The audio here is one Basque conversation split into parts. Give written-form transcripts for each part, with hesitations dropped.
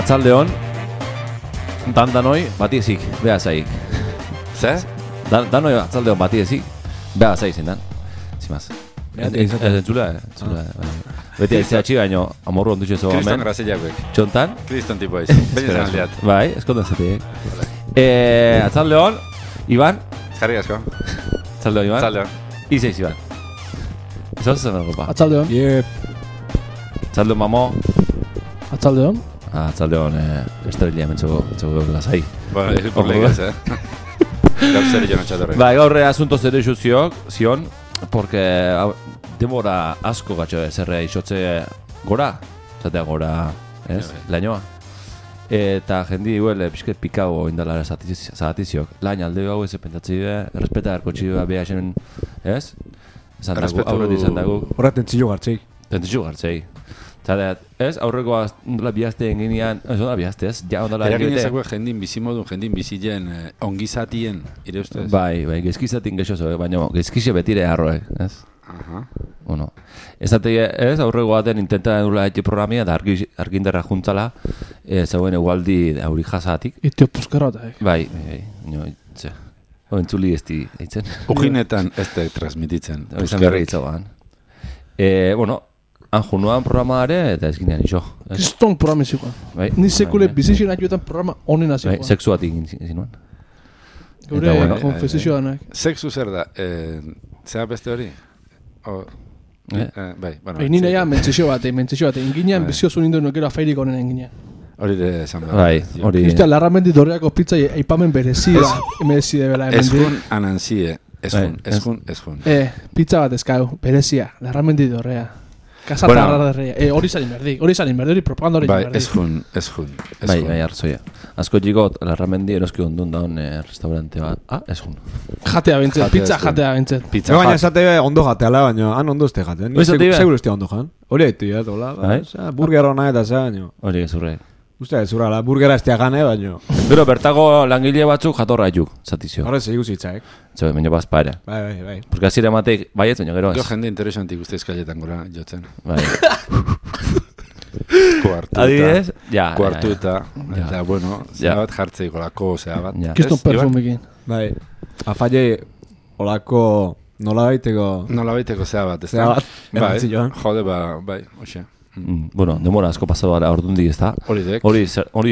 Atzaldeon, danoi bati ezik, beha zaik. Zer? Danoi atzaldeon bati ezik, beha zaik zen dan. Zimaz. Entzula. Beti aitzea txi baino, amorru ondutxe zo. Kriston grazillakoek. Txontan? Kriston tipo aiz. Baina zen aldeat. Bai, eskontan zetik. Atzaldeon, Iban. Jarri asko. Atzaldeon, Iban. Atzaldeon. Izeiz, Iban. Zauz zen erropa. Atzaldeon. Atzaldeon, mamo. Atzaldeon. Atzaldeon, estrella hementzuko lasai. Bueno, ez por legaz, Gaur zer jo notxatorre. Bai, gaur asunto zer eixu zion, porque demora asko gatxo zerre isotze gora, zatea gora, ez, lainoa. Eta jendi huele pixket pikago indala zahatiziok. Lain alde gau ez pentsatzi errespeta erkotxi beha esen, ez? Aurretik izan dago. Horra tentzio gartzei. Tentzio gartzei. Zateat, ez, aurreko ondala bihazte enginean, ez ondala bihazte, ez, ja ondala eragin ezako jendin bizimodun, jendin bizilen ongizatien, ire ustez? Bai, gezkizatin gexozo, baina gezkixe betire harroek, ez? Aha. Bueno, ez aurreko baten intenta dula eti programia, da argindarra juntzala, zegoen egualdi auri jasatik. Itio puskarota, Bai, itze. Entzuli ez di, eitzen. Ujinetan ez da transmititzen. Izan berri itzagoan. Bueno, anjunuan programa ere, eta ez ginean iso. Kriston programa izikoan. Ni sekule bizizien atioetan programa honen azikoan. Sexu bat egin zinuan. Gure konfesizio danak. Sexu zer da, zera beste hori? Bai, bueno. Nina ja, mentzizio bat, inginean biziozu nindu nukero afairik honen enginean. Hori de esan behar. Bai, hori. Justia, larramendi dorreako pizza aipamen berezia, emezide bela. Ezkun ananzie, ezkun. Pizza bat ezkau, berezia, larramendi dorrea. Kasatarra derrea. Hori zain berdi, hori propaganda hori zain berdi. Bai, ezkun. Bai, arzoia. Azko jigot, larramendi eroski ondun daun restaurante bat. Ezkun. Jatea bintzen, pizza jatea bintzen. Baina esate ondo jateala, baina han ondo este jatean. Seguro estea ondo jan. Hori haitu ya, dola. Burger hona eta za, baina. Hori gezurre. Uste, zurala, burgera estea gane, baina. Pero bertago langile batzuk jatorra juk, zatizio. Horre zeigu zitzaek. Zue, baina bazpaera. Bai. Porque azire matek, baiet, baina gero az. Jo jende interesantik uste eskaletan gora jotzen. Bai. Adibidez, kuartuta. Eta, bueno, zera bat jartzeiko lako, zera bat. Kiston perfumekin. Bai, afalle olako nola baiteko zera bat, ez da? Bai, jode, bai, oxe. Bueno, demora asko pasado ara ordundi, ez da? Hori ez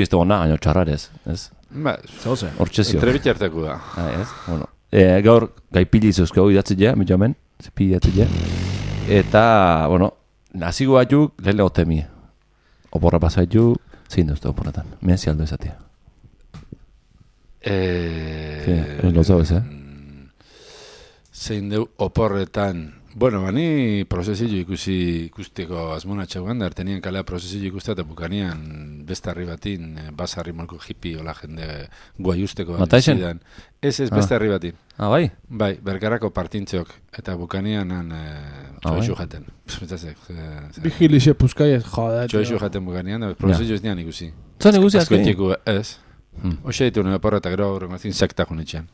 da gona, gaino txarrarez, ez? Ba, zauze. Hortxezio. Entrebit harteko da. Ez, bueno. Gaur, gai piliz euskau idatzen ja, mitjamen, zepi idatzen ja. Eta, bueno, nazigo batzuk, lehen legotemi. Oporra pasaitu, zein duzte oporretan. Menzi aldo ezatea. Lotza bez, Zein deu oporretan. Bueno, bani prozesio ikusteko azmona txaugan, da ertenien kalea prozesio ikustea eta bukanian beste harri batin, basarri molko hippie ola jende guai usteko bat zidan. Ez, beste harri batin. Bai? Bai, bergarako partintzeok eta bukanian han txoixu jaten. Vigilixe puskaiet, joda. Txoixu jaten bukanian, da prozesio ez nian ikusi. Zan ikusi azko? Ez. Oxe ditu nire porra eta gero horrengazin sekta junetxean.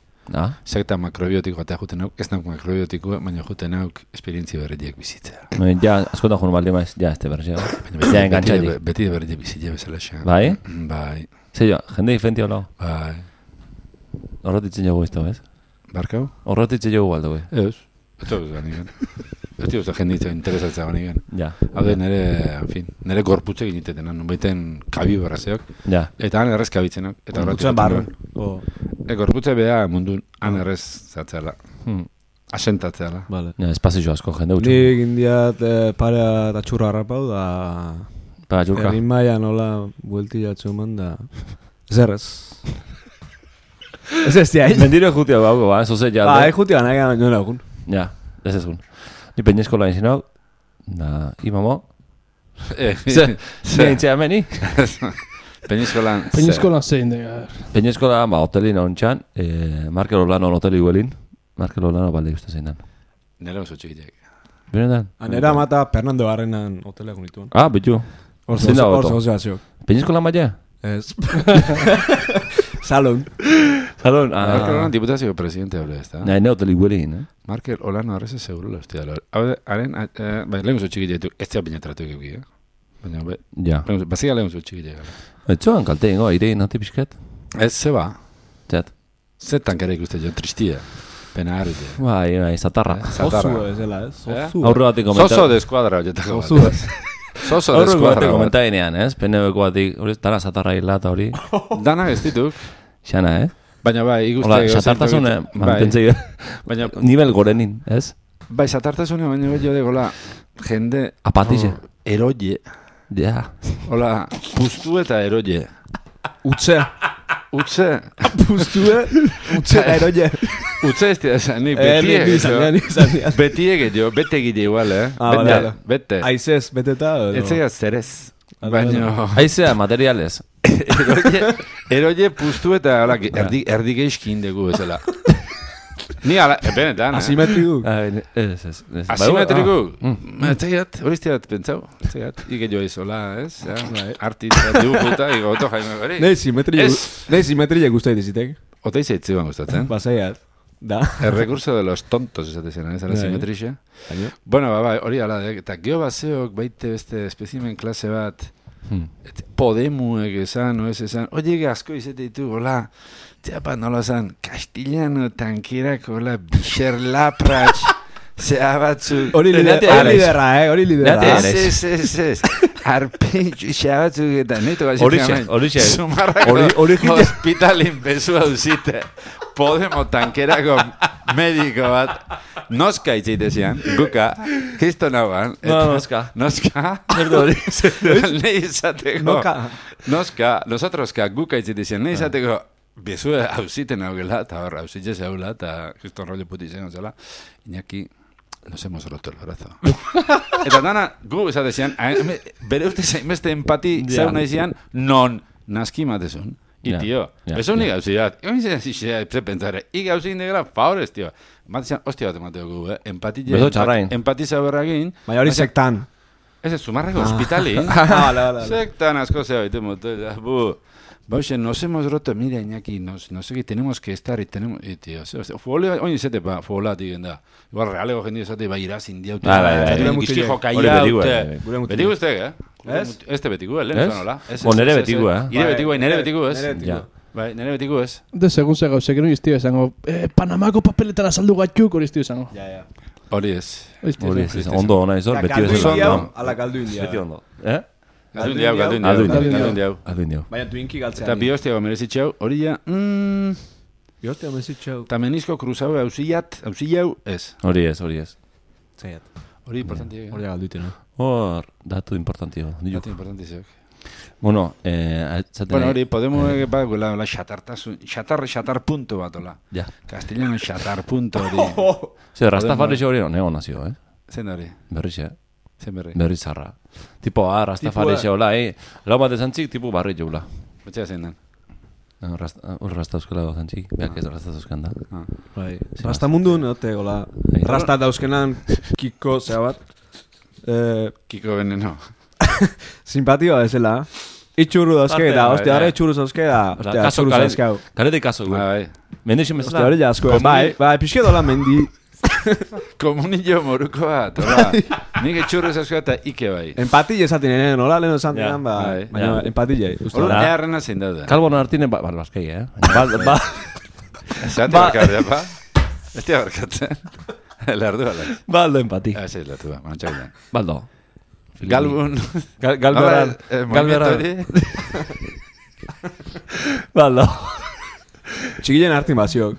Sekta makrobiotiko eta juten auk, ez nauk makrobiotiko, baina juten auk esperientzi berriak bizitzea. Ja, askotan junu balde maiz, ja, este berrizio. Ja, engantzai. Beti de berriak bizitzea bezala xa. Bai? Bai. Zeio, jende diferenti hola? Bai. Horretitzen jogu izto, ez? Barkau? Horretitzen jogu baldo, ez? Eta ez da nigen. Ez dira jenditza interesatzea nigen. Ja. Hau de nire gorputze giniteten, non baiten kabi barrazeok. Ja. Eta han errez kabitzenak. Gorputzen barren. Gorputze beha mundun han errez zatzeala. Asentatzeala. Ja, espazio asko jende utxu. Nik indiat parea eta txurra harrapau da... Para txurka. Erin maia nola buelti jatzu eman da... Zerrez. Ez ez diain. Mendiro jutia bauko, ba, zoze jalde. Ba, jutia nahi gana nioen agun. Ja, ez egun. Ni peñeskola egin zinau, da, imamo. Zein txea meni? Peñeskolan zein dega. Peñeskola, hotelin ontsan, Markel Olano hoteli guelin. Markel Olano balde uste zein dan. Nela oso txikitek. Benetan? Nera mata Fernando Barrenan hoteleak unituen. Bitu. Zein da goto. Peñeskolan baina? Ez. Salon. Salon, Markel Olano diputazio presidente hable ez da. Nahi, ne hoteli guelin, Markel Olano arreze seguro la hostia. Haren, lehen oso txikitek, ez zea peñatratu egiuk, Baina, bazik alehun zutxik egin. Etxoan kalte ingo, airein nati pixket? Ez, zeba. Zet? Zetan kere ikuste jo, tristia. Pena harrite. Bai, zatarra. Zozu ezela, ez? Zozu. Aurro batik komenta... Zozo deskuadra horietako. Zozu ez. Zozo aurro deskuadra. batik komenta ginean, ez? Peneueko batik, dana zatarra hila eta hori. Dana ez dituk. Xana, Baina bai, ikuste... Hola, zatartasune, mantentzei. Baina... Nivel gorenin, ez? Bai, zatartasune, baina bello de gola, jende... Apatize. Eroie. Ja. Hola, puztu eta eroie. Utze. Utze. Puztue, utze eroie. Utze ez dira esan, ni betiek jo, bete gide igual, bete. Aizez, beteta? Ez zega zerez. Baina... Aizea, materiales. Eroie puztu eta erdi geizkin dugu ezela. Ni ala, benetan, Asimetriku? Ez. Asimetriku? Etzegat, hori izteat, pentsau. Etzegat, ike joa izola, ez? Artista, dibujuta, iko oto jaime gori. Nei simetria guztai dizitek. Ota izaitziban gustatzen. Basaiat. Da. El recurso de los tontos, esatezena, ez? La simetria. Bueno, hori ala, eta geho baseok baite beste espezimen klase bat, Podemuek esan, oez esan, oie asko izate ditu, hola, txapa nola zan, Castellano tankirak, hola, bixer lapratx, zea batzu... Hori lidera, hori lidera. Ez. Arpentxu, zea batzu eta neto gazik. Horixe. Zumarrako hospitalin bezu hau zite. Podemo tankerako mediko bat. Noska itzeitezian, guka, kriston hauan. Noska. Nerdo hori. Nei izateko. Noska, nosotroska guka itzeitezian. Nei izateko, bezu hau ziten haugela, eta hor, hau zitzez haugela, eta kriston rollo puti zen zela. Iñaki, nos hemos roto el brazo. Eta dana, gu esatezian, bere uste zainbeste empati zauna izian, non naski matezun. Y tío, eso ni gauzidat. Ego nintzen zizea, pensare, i gauzin degela, favorez, tío. Matezian, hostia bat emateo gu, empati zaberragin. Baina hori sektan. Ez ez, Zumarrako hospitali. Sektan asko zea baitu motel. Bauxe, nos hemos roto, mira, Iñaki, no sé que tenemos que estar y tenemos... Y tío, oin izate, foolatik da. Igual realego jendio esate, iraz indiaute. Gizkijo kaiaute. Beti guztek, Este betigu, lehen zonola. Nere betigu, Nere betigu, ez? Bai, nere betigu, ez? De segun ze gauzek, no iztio esango, Panamako papeletara saldu gatxuk, hori iztio esango. Hori ez. Ondo ona izor, beti ez ondo. Ala galdu india. Beti ondo. Galdu indiau. Baina tuinki galtzean. Eta bihostia merezitxau, hori ja... Bihostia merezitxau. Eta menizko kruzau hausiau, ez. Hori ez. Zaiat. Hori importanti. Hori galdu itena. Hor, datu importantio. Datu importantizok. Bueno, hori, podemos la xatar punto bat, hola. Ja. Castellano xatar punto hori. Zer, Rastafari hori neo nazio, Zen hori. Berri zarra. Tipo, Rastafari hola, lau bat ezantzik, tipo barri joula. Betxea zein den? Rasta euskela gozantzik, beak ez Rasta euskan da. Rasta mundu, note, hola. Rasta dauzkenan, Kiko, zea bat. Kiko veneno. Simpatioa ezela. Itxurru dauzke da, hostia, hori itxurru zauzke da. Hostia, itxurru zauzkau. Karete kaso, bai. Mendixen bezala. Hostia, hori jasko, bai, pixke dola mendi. Komunillo moruko bat, hola. Nik itxurru zauzkau eta ike bai. Empatille esaten enen, hola, lehen esan dinan, baina empatille. Hola, earrena zein dauda. Kalbo nartine, balbaskei, Zate barkar, pa? Ez tia barkatzen. Lerdu, ala. Baldo empati. Ez lerdu, manatxak den. Baldo. Galbun. Galberan. Baldo. Txikilen hartin baziok.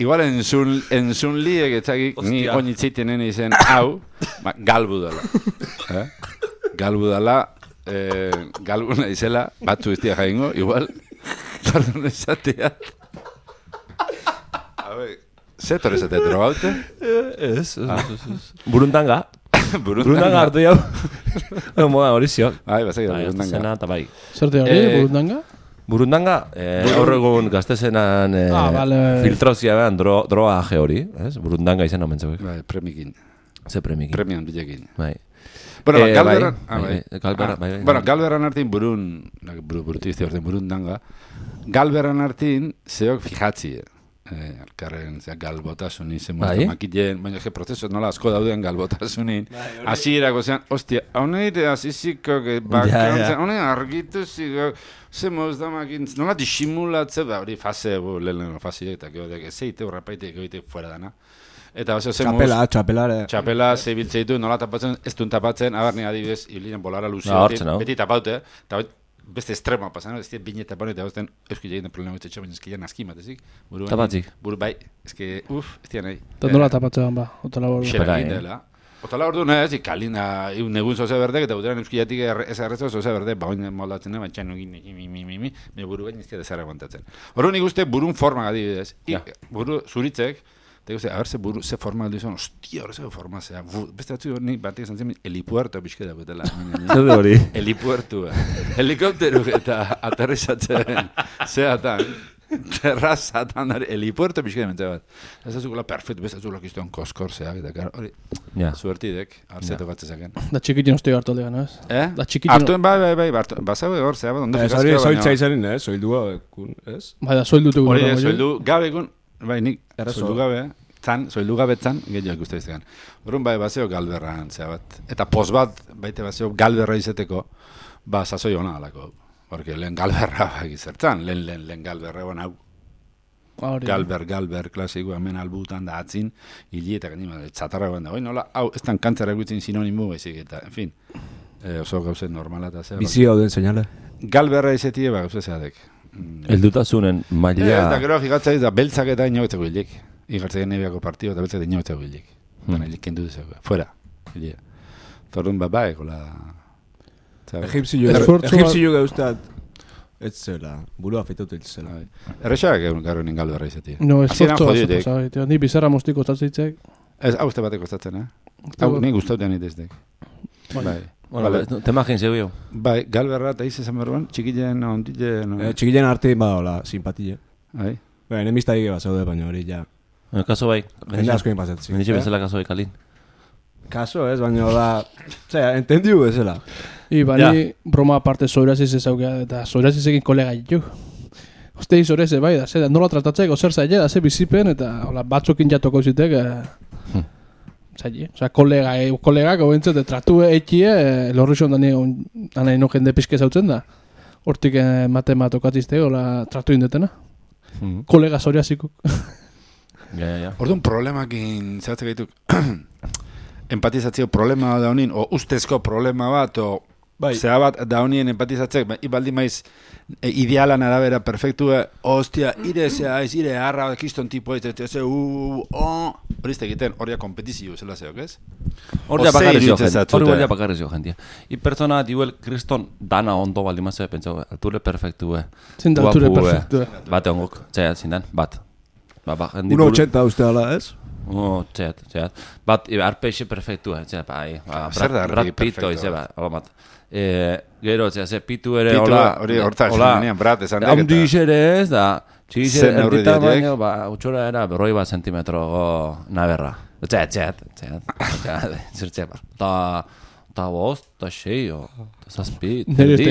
Igual entzun liek etzakik, ni oinitzeiten nene izen, hau, galbu dala. Galbu dala, galbuna izela, batzu iztia jaingo, igual, pardon esatea. Zetor esatea, drogaute? Ez. Burundanga. Burundanga hartu jau. Moda hori ziok. Bai, bazak da, burundanga. Zena eta bai. Zerte hori, burundanga? Burundanga, horregun gaztezenan filtrauzia behan droga aje hori. Burundanga izan omen zeuek. Bai, premikin. Ze premikin. Premian bilekin. Bai. Bueno, Galberan artin burundanga. Galberan artin zeok fijatzi. alkarren galbotasun izen makiten, baina prozesu nola asko dauden galbotasunin. Hasierako zean, ostia, hauneite aziziko, bakantzen, hauneite argitu zigo, ze moz da makin, nola disimulatze, hori fase, lehen fase, eta geodek, zeite horrapaite, geoite fuera dana. Eta txapela zebiltzeitu, nola tapatzen, ez duen tapatzen, abarni adibidez, hilinen bolara luzio, beti tapaute, eta beste estrema pasan, ez dira bine tapatzen, eta beste euskile egiten problema ez baina ezkia naski matezik. Tapatzik? Buru bai, ez dira nahi. Eta nola tapatzen ba, otala bordu. Xera egitela. Otala bordu nahi, kalina, negun zoze berdek, eta buteran euskileatik ez arrezo zoze berdek, bagoin moldatzen, baina txan nugin, baina buru gain ez dira zara aguantatzen. Horren ikuste burun forma adibidez. Buru zuritzek, eta ikuste, haber ze forma aldu izan, ostia, hori ze forma zea. Beste batzu nik batek izan zen, helipuerto bizke dagoetela. Zer hori? Helipuertu, helikopteru eta aterrizatzen zeatan. Terrazatan, helipuerto bizke dagoetela bat. Ez azukula perfecto, beste azukula kiztuan koskorzeak, eta hori, suertidek, arzeto batzezaken. Da txikitin hostio hartu aldegan, ez? Da txikitin... Artuen, bai, basau hor, zea bat, ondo fikazkio baina... Zoiltza izanin, soildua bekun, ez? Bai, da soildutu hori da, soildu gabe egun, bai, nik, soildu gabe zan, gehiago ikuste iztegan. Horren bai, bazeo galberran, zea bat. Eta pos bat, baite bazeo galberra izeteko, sasoi hona alako. Porque lehen galberra izertzan, lehen galberra egon hau. Galber, klasiko, hemen albutan da atzin, hili eta ganima, txatarra egon da. Nola, hau, ez tan kantzara egutzen sinonimu, baizik, eta, en fin, oso gauzen normala eta zea. Bizi hau den seinale. Galberra izetie, gauze zeadek. Eldutasunen maila... Eta gero figatzaiz da beltzak eta inoetzeko hilik. Igartzak nebiako partio eta beltzak inoetzeko hilik. Dena hilik kendu duzeko. Fuera. Torrun babae, kola... Egipzio gauztat. Ez zela. Burua feitautu ez zela. Errexak egun garo nien galberra izetie. No, esfortzu. Ni bizarra mostiko zatzeitzek. Ez, hau uste bateko zatzen, Hau, ni guztautean iteztek. Bai. Te imagin zeu. Bai, galberra eta izan berruan, txikilen, ondilen... Txikilen arte badola, simpatile. Bai. Bai, enemista egi bat zaude, baina hori ja... Kaso bai. Jende asko inpazatzi. Benitxe bezala kaso bai, Kalin. Kaso ez, baina da... Zera, entendiu bezala. Bani broma aparte zoiraziz ezaukea, eta zoirazizekin kolega ditu. Ostei zoiraziz bai, da, zera, nola tratatzeko zer zaila, da, ze bizipen, eta batzukin jatoko zitek... Zaila, oza, kolegak obentzat, tratu ekie, lorri zon dani no jende pizke zautzen da. Hortik matematokatizte, hola, tratu indetena. Kolega zoriazikuk. Orduan problemakin, zeratzen gaituk, empatizatzeo problema da honin, o ustezko problema bat, o zera bat da honien empatizatzek, ibaldi maiz idealan arabera perfektua, ostia, ire harra, kiston tipo, hori izte egiten, horia kompetizio zela zeok, ez? Hori bakarrizio, jentia. I pertsona diuel kriston dana ondo baldi mazue, pentsau, alture perfektue. Zinda alture perfektue. Bate ongok, txeat, zindan, bat. 1,80 uste ala, ez? Txeat. Bat, arpeixe perfektua, txeat, bai. Brad Pitt, oizeba, alamat. Gero, ze pitu ere, hola... Hori hortak, Brad, esan dek. Haundi ere ez, da... Txigize erdita baino, utxora era berroi bat sentimetro naberra. Txeat. Zertzea bar. Ta bost, ta xeio, ta zazpi. Ibeldi,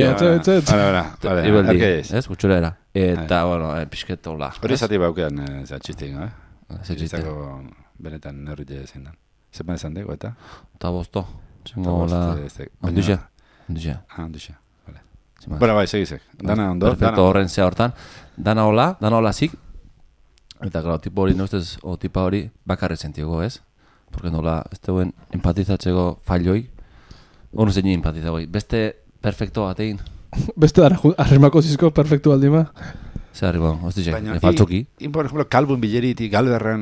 ez, utxora era. Eta, bueno, pixketo la. Hori zati baukean, txistik, Txistako benetan nerrite zein dan. Zepan esan dego, eta? Ta bosto. Txengo la... Ondixea. Ondixea. Bueno, bai, segizek. Dana ondo. Perfecto, horren zea hortan. Dana hola zik. Eta, claro, tipo hori neustez, o tipa hori bakarre sentiago, ez? Porque nola, ez teguen empatizatzeko falloi. Ono zein empatizagoi. Beste perfecto batein. Beste arrimako zizko perfecto aldima. Zer arriba, hostitxe, faltzoki. Por ejemplo, kalbun bileriti, galberran,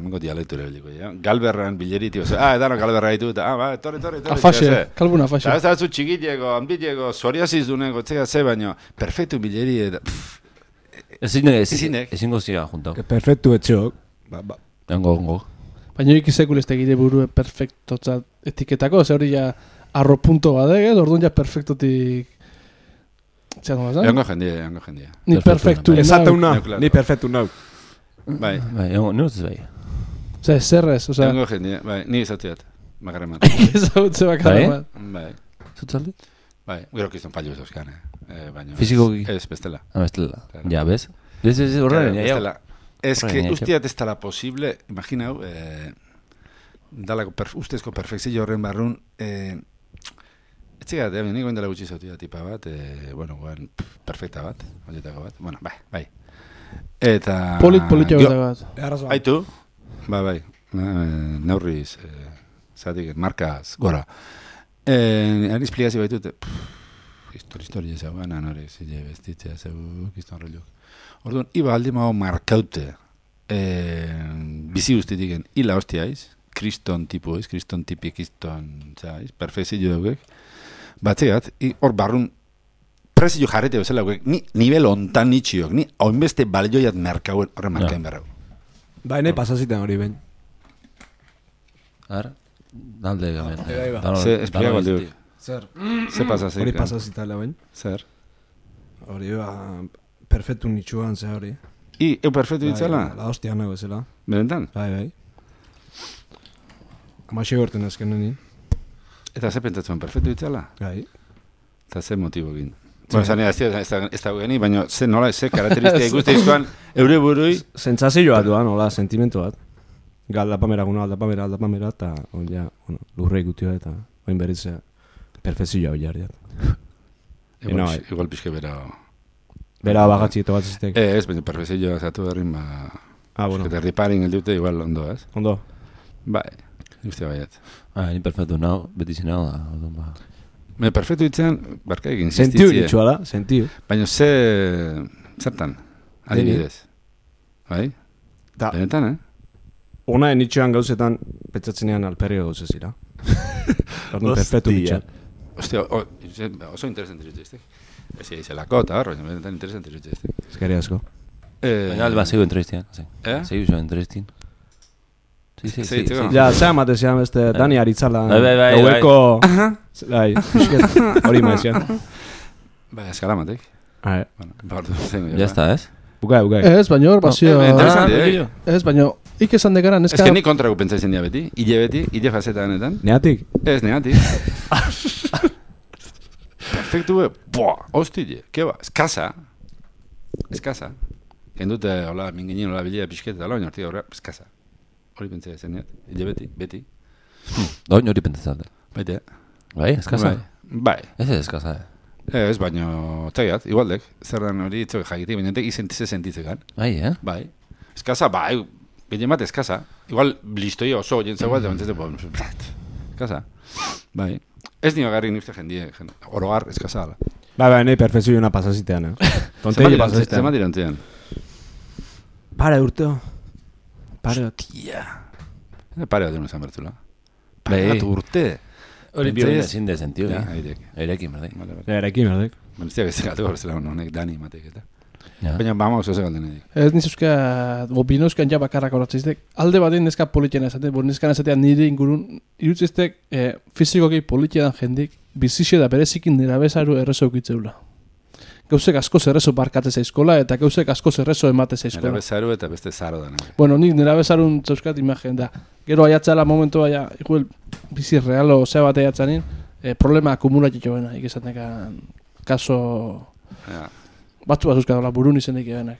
mengo dialektu lebeliko, galberran bileriti, edano galberra ditu, eta, torri. Afaxe, kalbun afaxe. Eta ez da zu txikitieko, hanbitieko, zoriaziz duneko, txeka ze baino, perfectu bileri, eta... Ezingo zira juntau. Perfectu etxeok. Ongo. Baina ikizekul ez tegide burue perfectotza etiketako, ze hori ja arro punto badege, orduan ja perfectotik... Egongo jendia. Ni perfectu nau. Esate una, ni perfectu nau. Bai. Nuz bai. Zerrez, oza... Egongo jendia, bai, ni izatziat. Makarreman. Ezautze makarreman. Bai. Zutzaldi? Bai, gero kizton fallo ez euskane. Fizikoki? Ez, bestela. Bestela. Ja, bez? Ez horren, ja. Ez que usteat ez dala posible, imaginau, ustezko perfekzio horren barrun, etxegat, nik goen dela gutxi zautia tipa bat, perfekta bat, olietako bat, bueno, bai. Eta... Politxo bat. Aitu? Bai, neurriz, zatik, markaz, gora. Ariz pligazio baitute, historia zau, ganan hori, zile bestitzea zau, kiston reluk. Orduan, iba aldi mago markaute, bizi guztitiken, hila hostiaiz, kriston tipu eiz, kriston tipi, kriston, zaiz, perfezio daugek, batzegat, hor barrun, prezio jarrete bezala daugek, ni nivel ontan nitxiok, ni hainbeste balioiat merkauen horren markain berrau. Ba, nahi pasaziten hori ben. Ar, dalde gamen. Ze, espliago alde hori. Zer? Ze pasaziten? Hori pasazitala ben. Zer? Hori, perfectu nitxuan, ze hori. Eu perfectu ditzala? La hostia nago ezela. Benetan? Bai. Amaxe gorten azken nini. Eta ze pentsatzen perfectu ditzala? Bai. Eta ze motibokin? Bueno, zanea, ez da geni, baina ze nola, ze karakteristika ikuste izkoan, eure burui... Sentsazioa duan, nola, sentimentu bat. Aldapamera, eta lurre ikutioa eta oin berritzea perfezioa hori jarriat. Igual pixke bera... Bera bagatzi eta bat zitek. Ez, baina perfezioa zatu berrin, bueno. Eta riparing eldute igual ondo, ez? Ondo? Bai, guztia baiet. Ni perfectu nao, beti zinao da, odon ba... Me perfectu ditzean, barka egin insistitzie. Sentiu ditxua da, sentiu. Baina zertan, adibidez. Bai? Benetan, Ona nitxoan gauzetan, petzatzenean alperrio gauzez ira. Perfectu nitxoan. Ostia, oso interesante dituzte. Ez izelako, eta hor, baina benetan interesante dituzte. Eskari asko. Baina alba zego entrevistian, zego zo entrevistin. Sí. Ja, zea matezia, beste, Dani Aritzala. Bai. Gaueko... Bai, hori maizian. Bai, eskala matek. Ya está, ez? Bukai. Ez, baina hor, basio... Interesante, Ez, baina, ikesan dekaran, Ez que ni kontrako pentsaizen dia beti, hile fazetanetan. Neatik? Ez, neatik. Perfektu, hostile, keba, eskasa. Kendute, hola, minginin, hola, bilia, pixketa, hola, baina hortik horrela, eskasa. Hori pentsai zen, hile beti. Doin hori pentsatzen. Baite. Bai, eskasa? Bai. Ez eskasa, Ez, baina, txaiat, igualdek, zerran hori itzok jakitik, baina entek izentize sentitzekan. Bai, Eskasa, bai, gehien bat eskasa. Igual, blistoi oso, jentzagoa, eta eskasa. Bai. Ez nio garri nifte jendie, orogar eskasa ala. Bai, nahi perfezioa pasazitean, Tontei pasazitean. Zema dirantzean? Pare urteo. Hostia. Pare bat duen esan bertula. Bai. Pare bat urte. Hori biolina zin de sentio. Eirekin, berdek. Eirekin, berdek. Baina ez gatu gauzela honek Dani matek eta. Baina vamos, oso galden edik. Ez nizuzka, binuzkan ja bakarrak horatziztek. Alde baten neska politiena esaten, neskan esatean nire ingurun, irutziztek fizikoki politietan jendik, bizixe da berezikin nira bezaru errezo ukitzeula. Gauzek asko zerrezo barkatze zaizkola, eta gauzek asko zerrezo emate zaizkola. Nira bezaru eta beste zaro da. Bueno, nik nira bezarun zauzkat imagen da. Gero aiatzala momentua, igual bizi realo zea bat aiatzanin, problema akumulatik joena, ikesatekan kaso... Batzu bat euskadala burun izenik ebenak.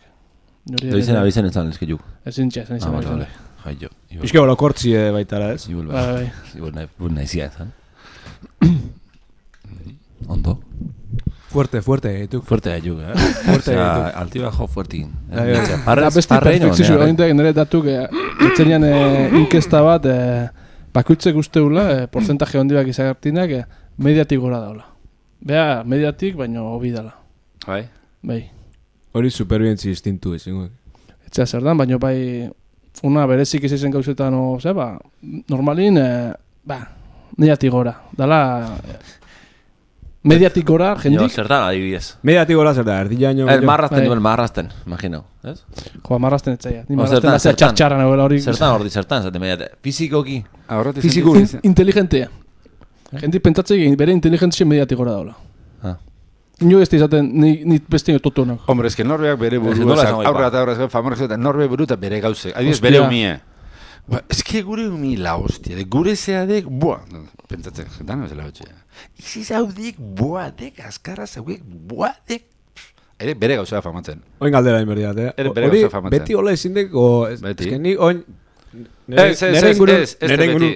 Doizen abizen etzan ezke juk. Ezin txea, ezin abizen. Jai jo. Bizke bolo kortzie baitara ez? Ibol naizia ezan. Ondo. Fuerte, juk. Fuerte juk, altibajo fuertekin. Beste perfekzio gaintek nire datuk etzenian inkesta bat bakuitzek usteula porcentaje ondibak izagartinak mediatik gora daula. Bea, mediatik, baina hobi dala. Bai. Hori superbientzi instintu ezingo. Etxea zer dan, baina bai una berezik izazen gauzetan normalin, mediatik gora. Dala, mediatik gora, jendik. Zer da, adibidez. Mediatik gora zer da, erdila año. Marrazten, imagino, ez? Marrazten etzaia. Ni marrazten da zer txartxaran hori. Zertan, zaten mediatik. Fizikoki. Fiziko, inteligentea. Jendik pentsatzeik bere inteligentzia mediatik gora daula. Ino ez izaten, ni beste ino totonak. Hombre, ez que norbeak bere buru, aurra eta aurra, famorrez eta norbe buru eta bere gauzek. Adibidez, bere umie. Ez que gure umi la hostia, gure zeadek, pentsatzen, dana bezala hotxea. Izi zaudek, boadek, azkarra zaudek, boadek, ere bere gauzea famatzen. Oin galdera inberdiat, Ere bere Hori gauza famatzen. beti hola izindeko... Beti. Ez que ni oin... Ez beti.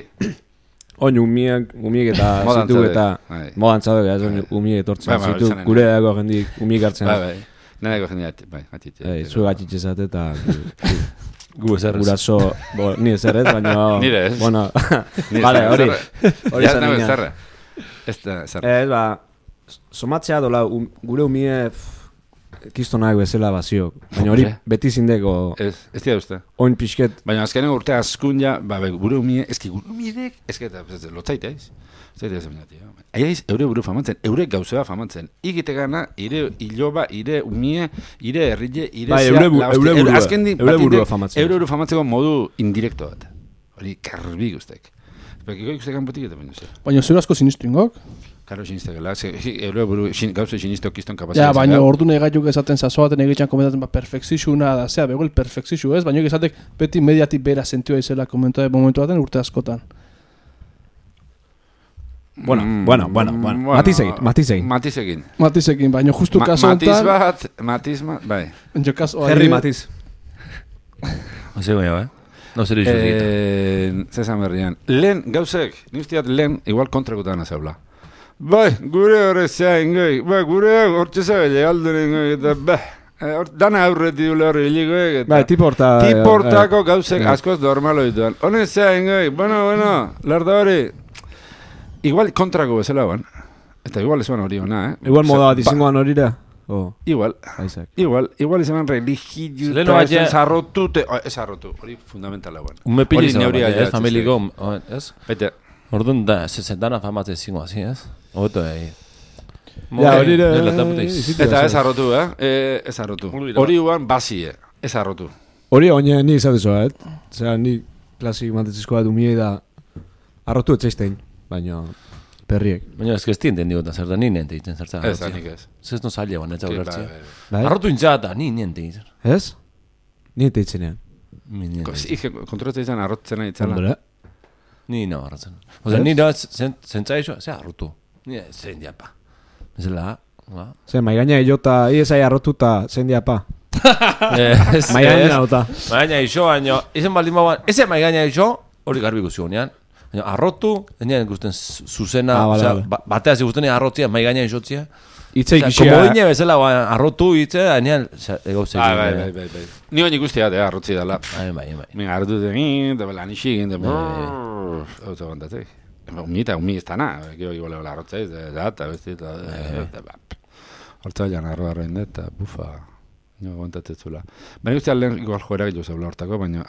Oin umiek eta Modan zitu zaudek. eta... Bai. Modan zaudek, ez oin umiek etortzen Bai, zitu, izanen, gure dago jendik umiek hartzen. Bai. Neneko jendea, bai, atitze. Zu gatxitxezat eta... Gu ezer ez. Guraso... Ni ezer ez, baina... Nire ez. Bueno, Nire vale, zerra, hori. zerra. Hori Ja, zan nago nian. zerra. Ez da, zerra. Ez, ba... Somatzea dola, gure umie... Kistonak bezala bazio. Baina hori Hombre. beti zindeko... Ez dira uste. Oin pixket... Baina azkeneko urte askun ja, gure umie, eski gure umiedek, eski eta lotzaita ez. Zaita ez emina, tio. Aiaiz, eure buru famatzen, eure gauzea famatzen. Igite gana, ire iloba, ire umie, ire herrile, ire Bai, zea, eure burua famatzen. Eure buru famatzeko modu indirekto bat. Hori, karbi guztek. Epekiko ikustek kanpotik eta baino ze. Baina zure asko sinistu ingok. Karo sinistekela, eure buru gauze sinistok kiston kapazia. Ja, baina ordune gaituk esaten zazo baten egitxan komentatzen, perfekzizuna da, zea, bego el perfekzizu ez, baina esatek beti mediatik bera sentioa izela komentua de momentu baten urte askotan. Bueno. Matizekin. Matizekin, baina justu kaso honetan... Matiz bat, bai. Jo kaso... Herri Matiz. Ose goia, No zer iso egiten. Zezan berrian. Lehen, gauzek, niztiat lehen, igual kontrakutan azaula. Bai, gure horrezea ingoi, gure hortzeza gile alduren ingoi, eta dana aurreti dule horri hiligoi, eta... Bai, Tiportako gauzek askoz normaloituan. Honezea ingoi, bueno, larda hori... Igual kontrako bezala ban. Eta igual ezuan hori ona, Igual moda bat izangoan horira? Igual. Aizak. Igual izan religiu Leno eta baina- ez arrotu, ez arrotu, hori fundamentala ban. Ume pili Hori zau, neuria ja, ez, familiko, ez? Baita, Orduan da, zezendana famatzen zingo, hasi, ez? Oto, Ja, hori eta ez arrotu, ez arrotu. Hori uan basie, ez arrotu. Hori oine ni izatezoa, Zera, ni klasik mantetzizkoa dumie da arrotu etzaiztein, baina perriek. Baina ez que ez tienten digotan zer da, ni niente ditzen zertzen. Ez, hanik ez. Zez no zaila guan, ez hau lertzia. Bai? Arrotu intzata, ni niente ditzen. Ez? Ni etzaitzenean. Ni niente ditzen. Ike, kontrolatzen izan arrotzen itzala. Ondore? Ni no arrotzen. Oza, ni da, zentza iso, ze arrotu. Ni zein diapa. Ezela, Zer, maigaina jota, iezai arrotuta zein diapa. Maigaina jota. Maigaina iso, baina, izen baldin bauan, eze maigaina iso, hori garbi guzti honean. Arrotu, enean gusten zuzena, bateaz igusten arrotzia, maigaina isotzia. Itzei Como gixia. dine bezala, arrotu hitze, enean, ego zegoen. Bai. Ni hori guztia da, arrotzi dela. Bai. Mira, arrotu da, da belan isik, da auto bandatek. Umi ez dana, gero igual egola arrotzeiz, eta besti, eta hortza bailan arroarroen da, eta bufa, nio aguantatzezula. Baina guztia lehen igual joera gehiago zaula hortako, baina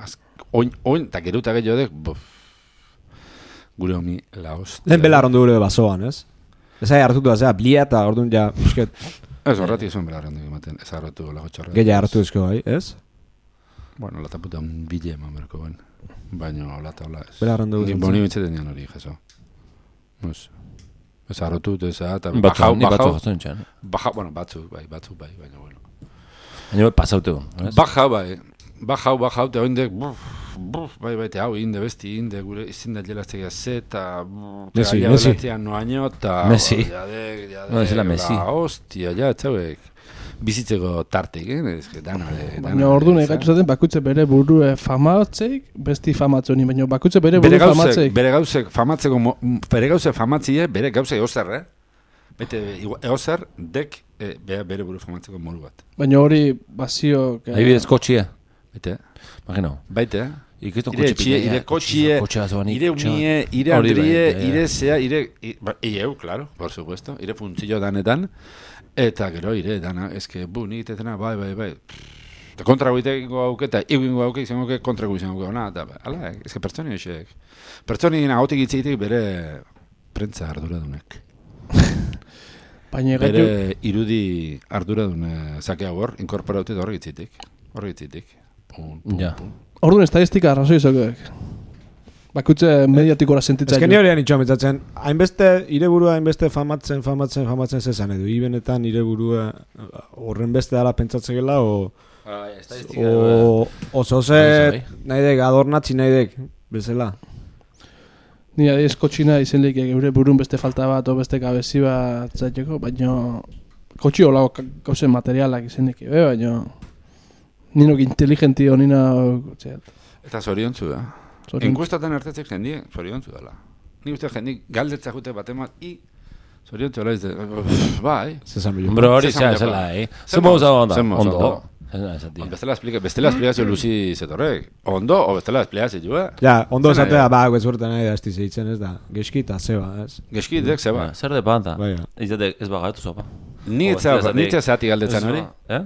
oin, eta geruta gehiago dek, gure omi la hostia. Lehen bela arrondu gure basoan, ez? Ezai hartutu da, zera, blia eta orduan ja, bisket, Ez horretik zuen bela arrondu ematen, ez arrotu lago txorra. gehiago hartu ezko bai, ez? Bueno, lata puta un bile eman berko ben. Baina lata hola ez. Bela arrondu Ni zentzen. boni bitzetan nian hori, jeso. Ez arrotu, ez eta Ni batzu jatzen txan. bueno, batzuk bai, baina bueno. Baina pasaute hon. Bajau, eta oindek, bai, eta hau, inde besti, inde gure izin da jelaztega eta Messi. noaino, eta... Messi. Jadek, No, ez la Messi. Hostia, ja, etzauek. Bizitzeko tartik, Ez que dana. Baina orduan egaitu zaten bakutze bere burue famatzeik, besti famatzen honi, baina bakutze bere buru famatzeik. Bere gauzek famatzeko, bere gauzek famatzie, bere gauzek egozer, Bete, egozer, dek, bere buru famatzeko moru bat. Baina hori bazio... Adibidez kotxia. Bete, Imagino. baite, Ikizto ire etxie, ire kotxie, ire unie, ire andrie, ire zea, eu, claro, por supuesto, ire funtzillo danetan, eta gero ire dana, eske, nik itetena, bai. Eta kontra guiteko hauke, eta egingo hauke, izango hauke, kontra guizango hauke, ona, eta, ala, eske pertsoni hoxek. Pertsoni nagotik itzitik bere prentza arduradunek. Baina egaitu... Bere irudi arduradune zakea hor, inkorporautit horrek itzitik. Ja. Orduan estadistika arrazoi izakoek. Bakutze mediatikora sentitza. Ez que ni horian itxoa metzatzen, hainbeste, ire burua hainbeste famatzen zezan edo, ibenetan ire burua horren beste dala pentsatzekela, oso ze nahi dek, adornatzi nahi dek, bezala. Ni adiz kotxina izen leik eure burun beste falta bat o beste gabezi bat zaiteko, baina Kotxi olako gauzen materialak izenik, baina ninok inteligentio nina... Eta zoriontzu da. Enkuestatan hartetzik jendie zoriontzu dela. Ni uste jendik galdetza jute batemat, zoriontzu dela izte, bai. Zezan bilo. Bro, hori zela, Zemo usa ondo. Bestela esplikazio luzi zetorrek. Ondo, o bestela esplikazio, Ja, ondo esatea, guetzurten nahi da esti zeitzen, ez da. Geski eta zeba, ez? Geski dek zeba. Zer de panta. Baina. Ez bagatu zopa. Ni etzea zati galdetzan hori. Eh?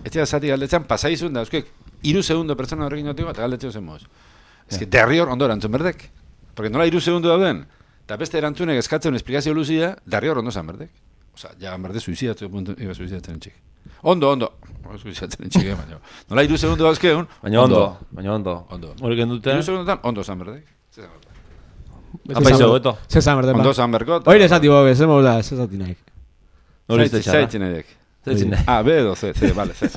Etzea zati galdetzan, pasaizun da, euskek, 3 segundo pertsona horrekin notiko, eta galdetzeo zen moz. Ez que derrior ondo erantzun berdek. Porque nola 3 segundo dauden, eta beste erantzunek eskatzen esplikazio luzia, derrior ondo zan berdek. Osa, ja, berde suizidatzen entxik. Ondo. Suizidatzen entxik, baina. Nola 3 segundo dauzkeun, baina ondo. Hori gendute. 3 segundotan, ondo zan berdek. Apaizo, beto. Zezan berde, Ondo zan berko. Oire esati bobe, zemo da, zezati nahi. Hori zaitzara. Zaitzin nahiek. B edo, C, vale, C.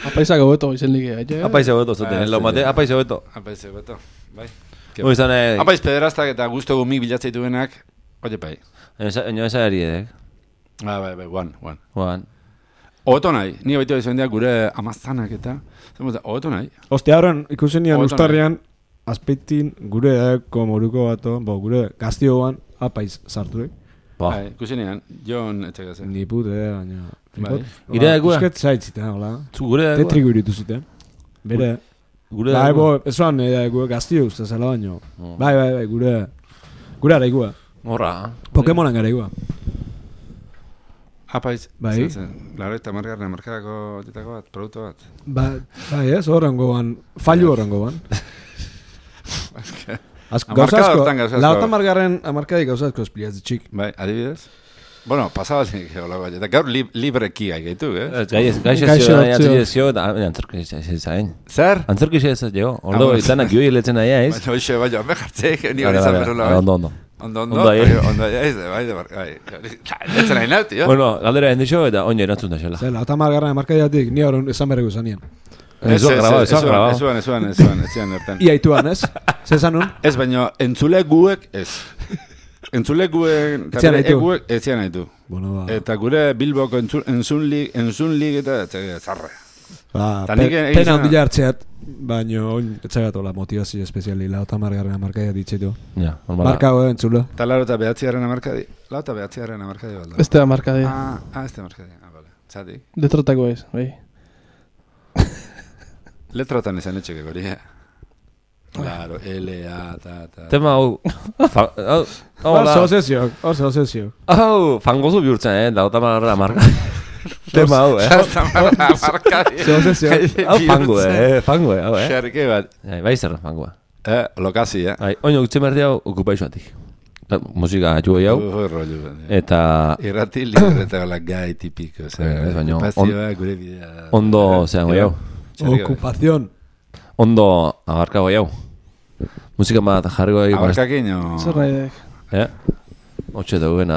Apaizako beto izen ligi, Apaizo beto zuten, mate, apaizo beto. Apaizo beto, bai. Hori zan, Apaiz pederastak eta guztu gumik bilatzaitu benak, oie pai. Eno eza eridek. Bai, one. Oto nahi, nire baitu izan diak gure amazanak eta, oto nahi. Ostia horren, ikusen nian ustarrian, azpeitin gure eko moruko bato, gure gaztioan apaiz sartuek. Bai, ikusen nian, Jon etxegazen. Ni pute, baina... Ire egua? Eusket zaitzita, hola. Zu gure egua? Tetriku iritu zuten. Bere... Gure egua? egua? Bai, ezoan gaztio uste zela baino. Bai, gure... Gure ara egua. Horra. Pokemonan gara egua. Apaiz, bai. Laro eta margarren markarako ditako bat, produktu bat. Bai, ez, horrengo ban. Fallu horrengo ban. Amarkada hortan gauza asko. Lauta margarren amarkadik gauza asko espliatzi txik. Bai, adibidez? Bueno, pasabazik geola bai. Eta gaur libreki gaitu, Gaixezio eta antzerkizia zain. Zer? Antzerkizia ez jo. Ordo, itanak joi letzen naia ez. Baina hoxe, baina, me jartzeik, ni hori zan berola. Ondo. Ondo, letzen nahi nau, tio. Bueno, galdera hendixo eta oin erantzun da xela. Zer, lauta margarren amarkadiatik ni horren esan berregu zanien. Ezuan grabado. Ezuan erten. Iaituan, ez? Zezanun? Ez, baina entzule guek ez. Entzule guek... Etzian nahi du. Eta gure Bilboko entzun lig eta zarre. Pena ondila hartzeat, baina oin etxagatola motivazio espeziali lauta margarren amarkadia ditzetu. Ja, normala. Markago entzule. Eta laro eta behatziaren amarkadi. Lau eta behatziaren amarkadi balda. Este amarkadi. Este amarkadi. Vale. Zati. Letratako ez, bai. Letrotan izan etxeke gori, Claro, L-A, ta... Tema hau... Hor zehozio. Hau, fangozu bihurtzen, lauta margarren amarkadi. Tema hau, Amarkadi. Zehozio. Hau fango, hau, Xerke bat. Bai zer, fangoa. Lokazi, Oino, gutxe merdi hau okupaixoatik. Musika atxugu hau. Eta... Irrati libre eta la gai tipiko. Okupazioa, gure bidea... Ondo, zean goi hau. Okupazion. Ondo abarka goi hau. Musika bat jarriko egin. Abarkakin o... Zer nahi dek? Otxe daugena.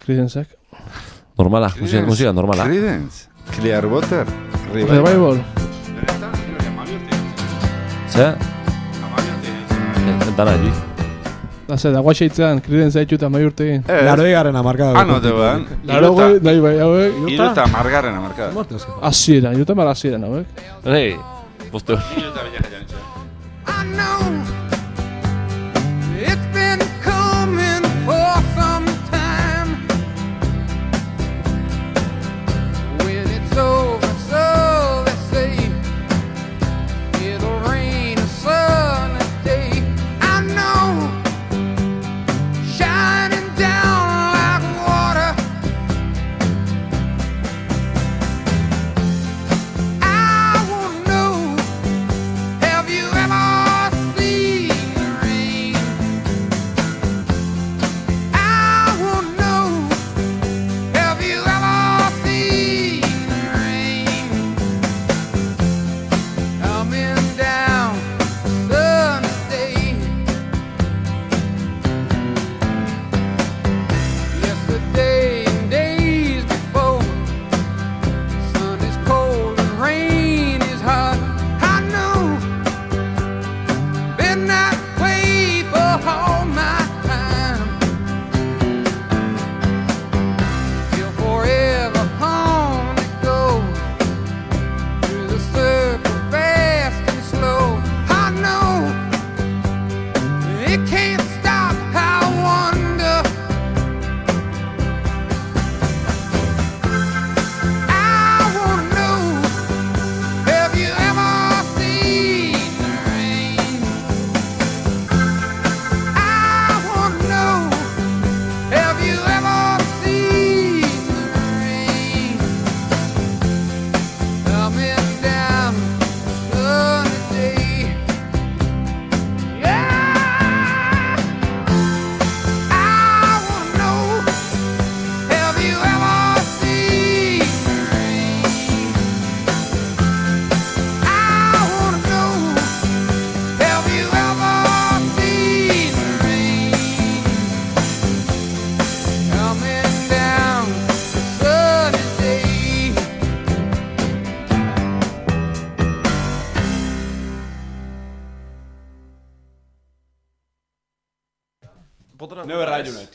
Creedence-ek. Normala, musika normala. Creedence? Clearwater? Revival? Zer? Dana egi. Da ze, da guaxeitzean, Creedence haitu eta mai urte egin. Laro egarren amarkada. Anote ban. Laro goi, nahi bai, hauek. Iruta margarren amarkada. Asieran, iruta mar asieran, hauek. Rei, postu. Iruta bella jantxe. I know it's been coming for some time. When it's over, so they say it'll rain a sunny day. I know, shining down like water. I won't know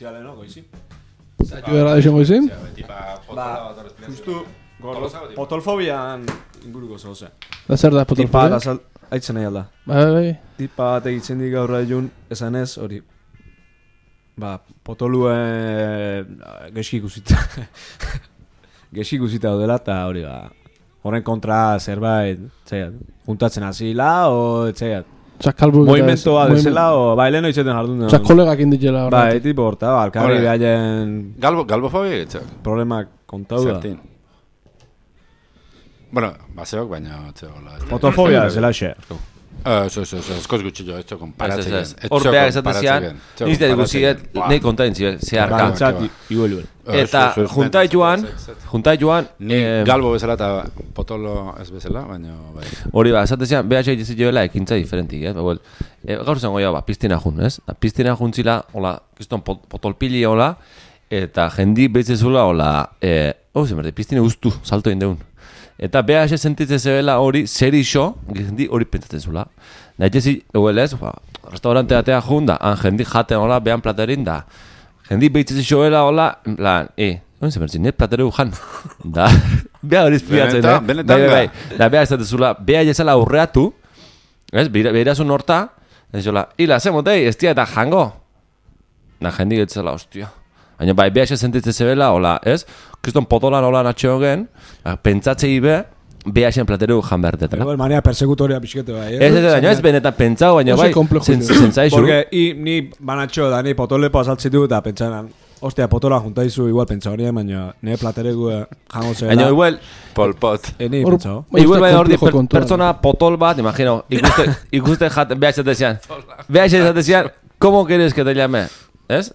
Hostia, leheno, goizi. Zaitu erra desiongo izin? Justu, potolfobian inguruko zoze. Da zer da Tipa potolfobia? da aitzen nahi alda. Bai. Tipa bat egitzen dik gaur egun, esan ez, hori. Potolue geski ikusita. Geski ikusita daudela, eta hori horren kontra zerbait, txaiat, juntatzen hasila, o txaiat. Kalbu Movimentoa desela, o leheno izaten jardun. kolegak inditela horretik. Tipo horta, alkarri behaien Galbofobia etxak. problemak kontau da. Zertin. Bueno, baseok baina etxegola. Potolfobia zela xe. Eskoz gutxillo, etxo konparatzen. Hor behar esatezian, nizte diguziet, nahi kontain zeharka. Bantzat, igueluen. Eta juntai joan, Ni galbo bezala eta potolo ez bezala, baina bai. hori esatezian, BH egitzi joela ekintza diferentik, gaur zengo ja, piztina jun, ez? Piztina juntzila, hola, kiston potolpili hola, eta jendi behitzezula, hola, zemerde, piztine guztu, salto indeun. Eta BH sentitzen zebela hori, zer iso, jendi hori pentsatzen zula. Naitezi, ez, restaurante atea jun da, jendi jaten hola, behan platerin da. Jendi behitzezi joela hola, en plan, oin zemertzin, plateru jan. Da, beha hori izpliatzen, benetan bai. Da, beha ez zula, beha jezela aurreatu, ez, behirazun horta, ez jola, hila, zemotei, ez tia eta jango. Da, jendi getzela, ostia. Baina bai, BH sentitzen zebela, hola, ez? Kriston potolan hola natxeo gen, pentsatzei be, BH-en plateru jan behar detela. Igual mania persekutoria pixkete bai, Ez benetan pentsau, baina bai, zentzaizu. Porque ni banatxo da, ni potolepo azaltzitu eta pentsanan, ostia, potola juntaizu igual pentsa horien, baina nire plateregu jango zela. Baina igual, Polpot. Ni pentsao. igual bai hor pertsona potol bat, imagino, ikuste jat, BH esatezian, ¿cómo quieres que te llame? ¿Ez?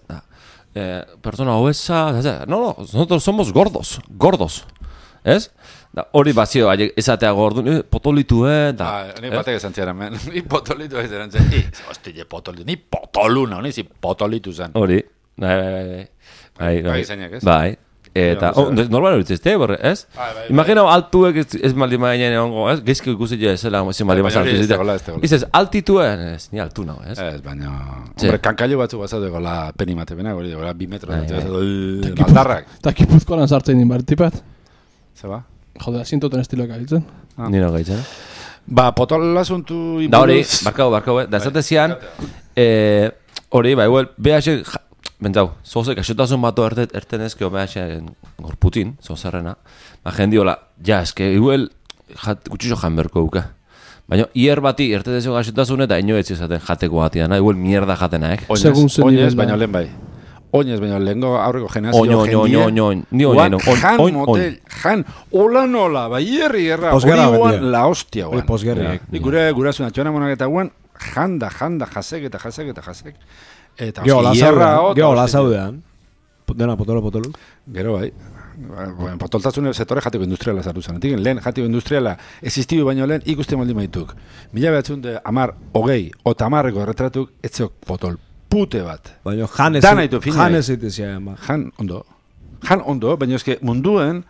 Persona obesa, no, nosotros somos gordos, ¿ez? Hori bazio, esatea gordun, potolitu, da. Ni batek esan ziaren, ni potolitu ez eran zen. Hostia, potolitu, ni potoluna, ni potolitu zen. Hori, bai, zeinak, ez? bai. Eta, normal hori zizte, ez? Imagino altuek ez maldi mainen egongo, ez? Gezko ikusi jo ezela, ezin maldi mazan altu zizte. Izez, altituen, ez, ni altu nago, ez? Ez, baina, hombre, kankailu batzu bazatu gola penimate benak, hori gola 2 metro, baldarrak. Eta Gipuzkoan sartzen din bartipat. Zeba? Jode, asintoten estiloak agitzen. Nino gaitzen. Ba, potol asuntu Da hori, barkau, da esatezian, hori, ba, igual, BH, bentzau, zozek, asotasun bato erten ezkeo BH gorputin, zozerrena, ba, jendi hola, ja, eske, igual, gutxixo jan berko duke. Baina, hier bati, ertetezio gasotasun eta ino etzi esaten jateko batian, igual mierda jatena, Oinez, baina lehen bai. Oinez, baina lehenko aurreko generazio jendia. Jan motel, jan, hola nola, bai herri erra, hori guan la hostia guan. Posgerriak. Gure gurasun atxona monak eta guan, janda, jasek. Eta Geo lazaudean. Dena potolo. Gero bai. Potoltasun sektore jateko industriala zartu zen. Lehen jateko industriala existidu baino lehen ikusten maldi maituk. 1910, 30 erretratuk etzeok potol. Pute bat. Baina jan ez eitezia. Jan ondo, baina eske munduen